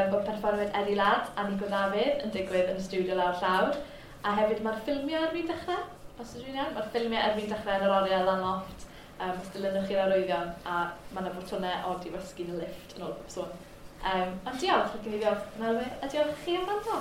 bod perfformiad Eddie Ladd a Nico Dafydd yn digwydd yn y stiwdio lawr llawr. A hefyd mae'r ffilmiau ar fin dechrau, os ydw i'n iawn, mae'r ffilmiau ar fin dechrau yn yr oriel lan lofft. Os dilynwch chi'r arwyddion, a mae yna fotwnau od i wasgu yn y lift yn ôl pob sôn. Ond diolch, rhaid i ni ddiolch Melwyn, a diolch chi am wrando.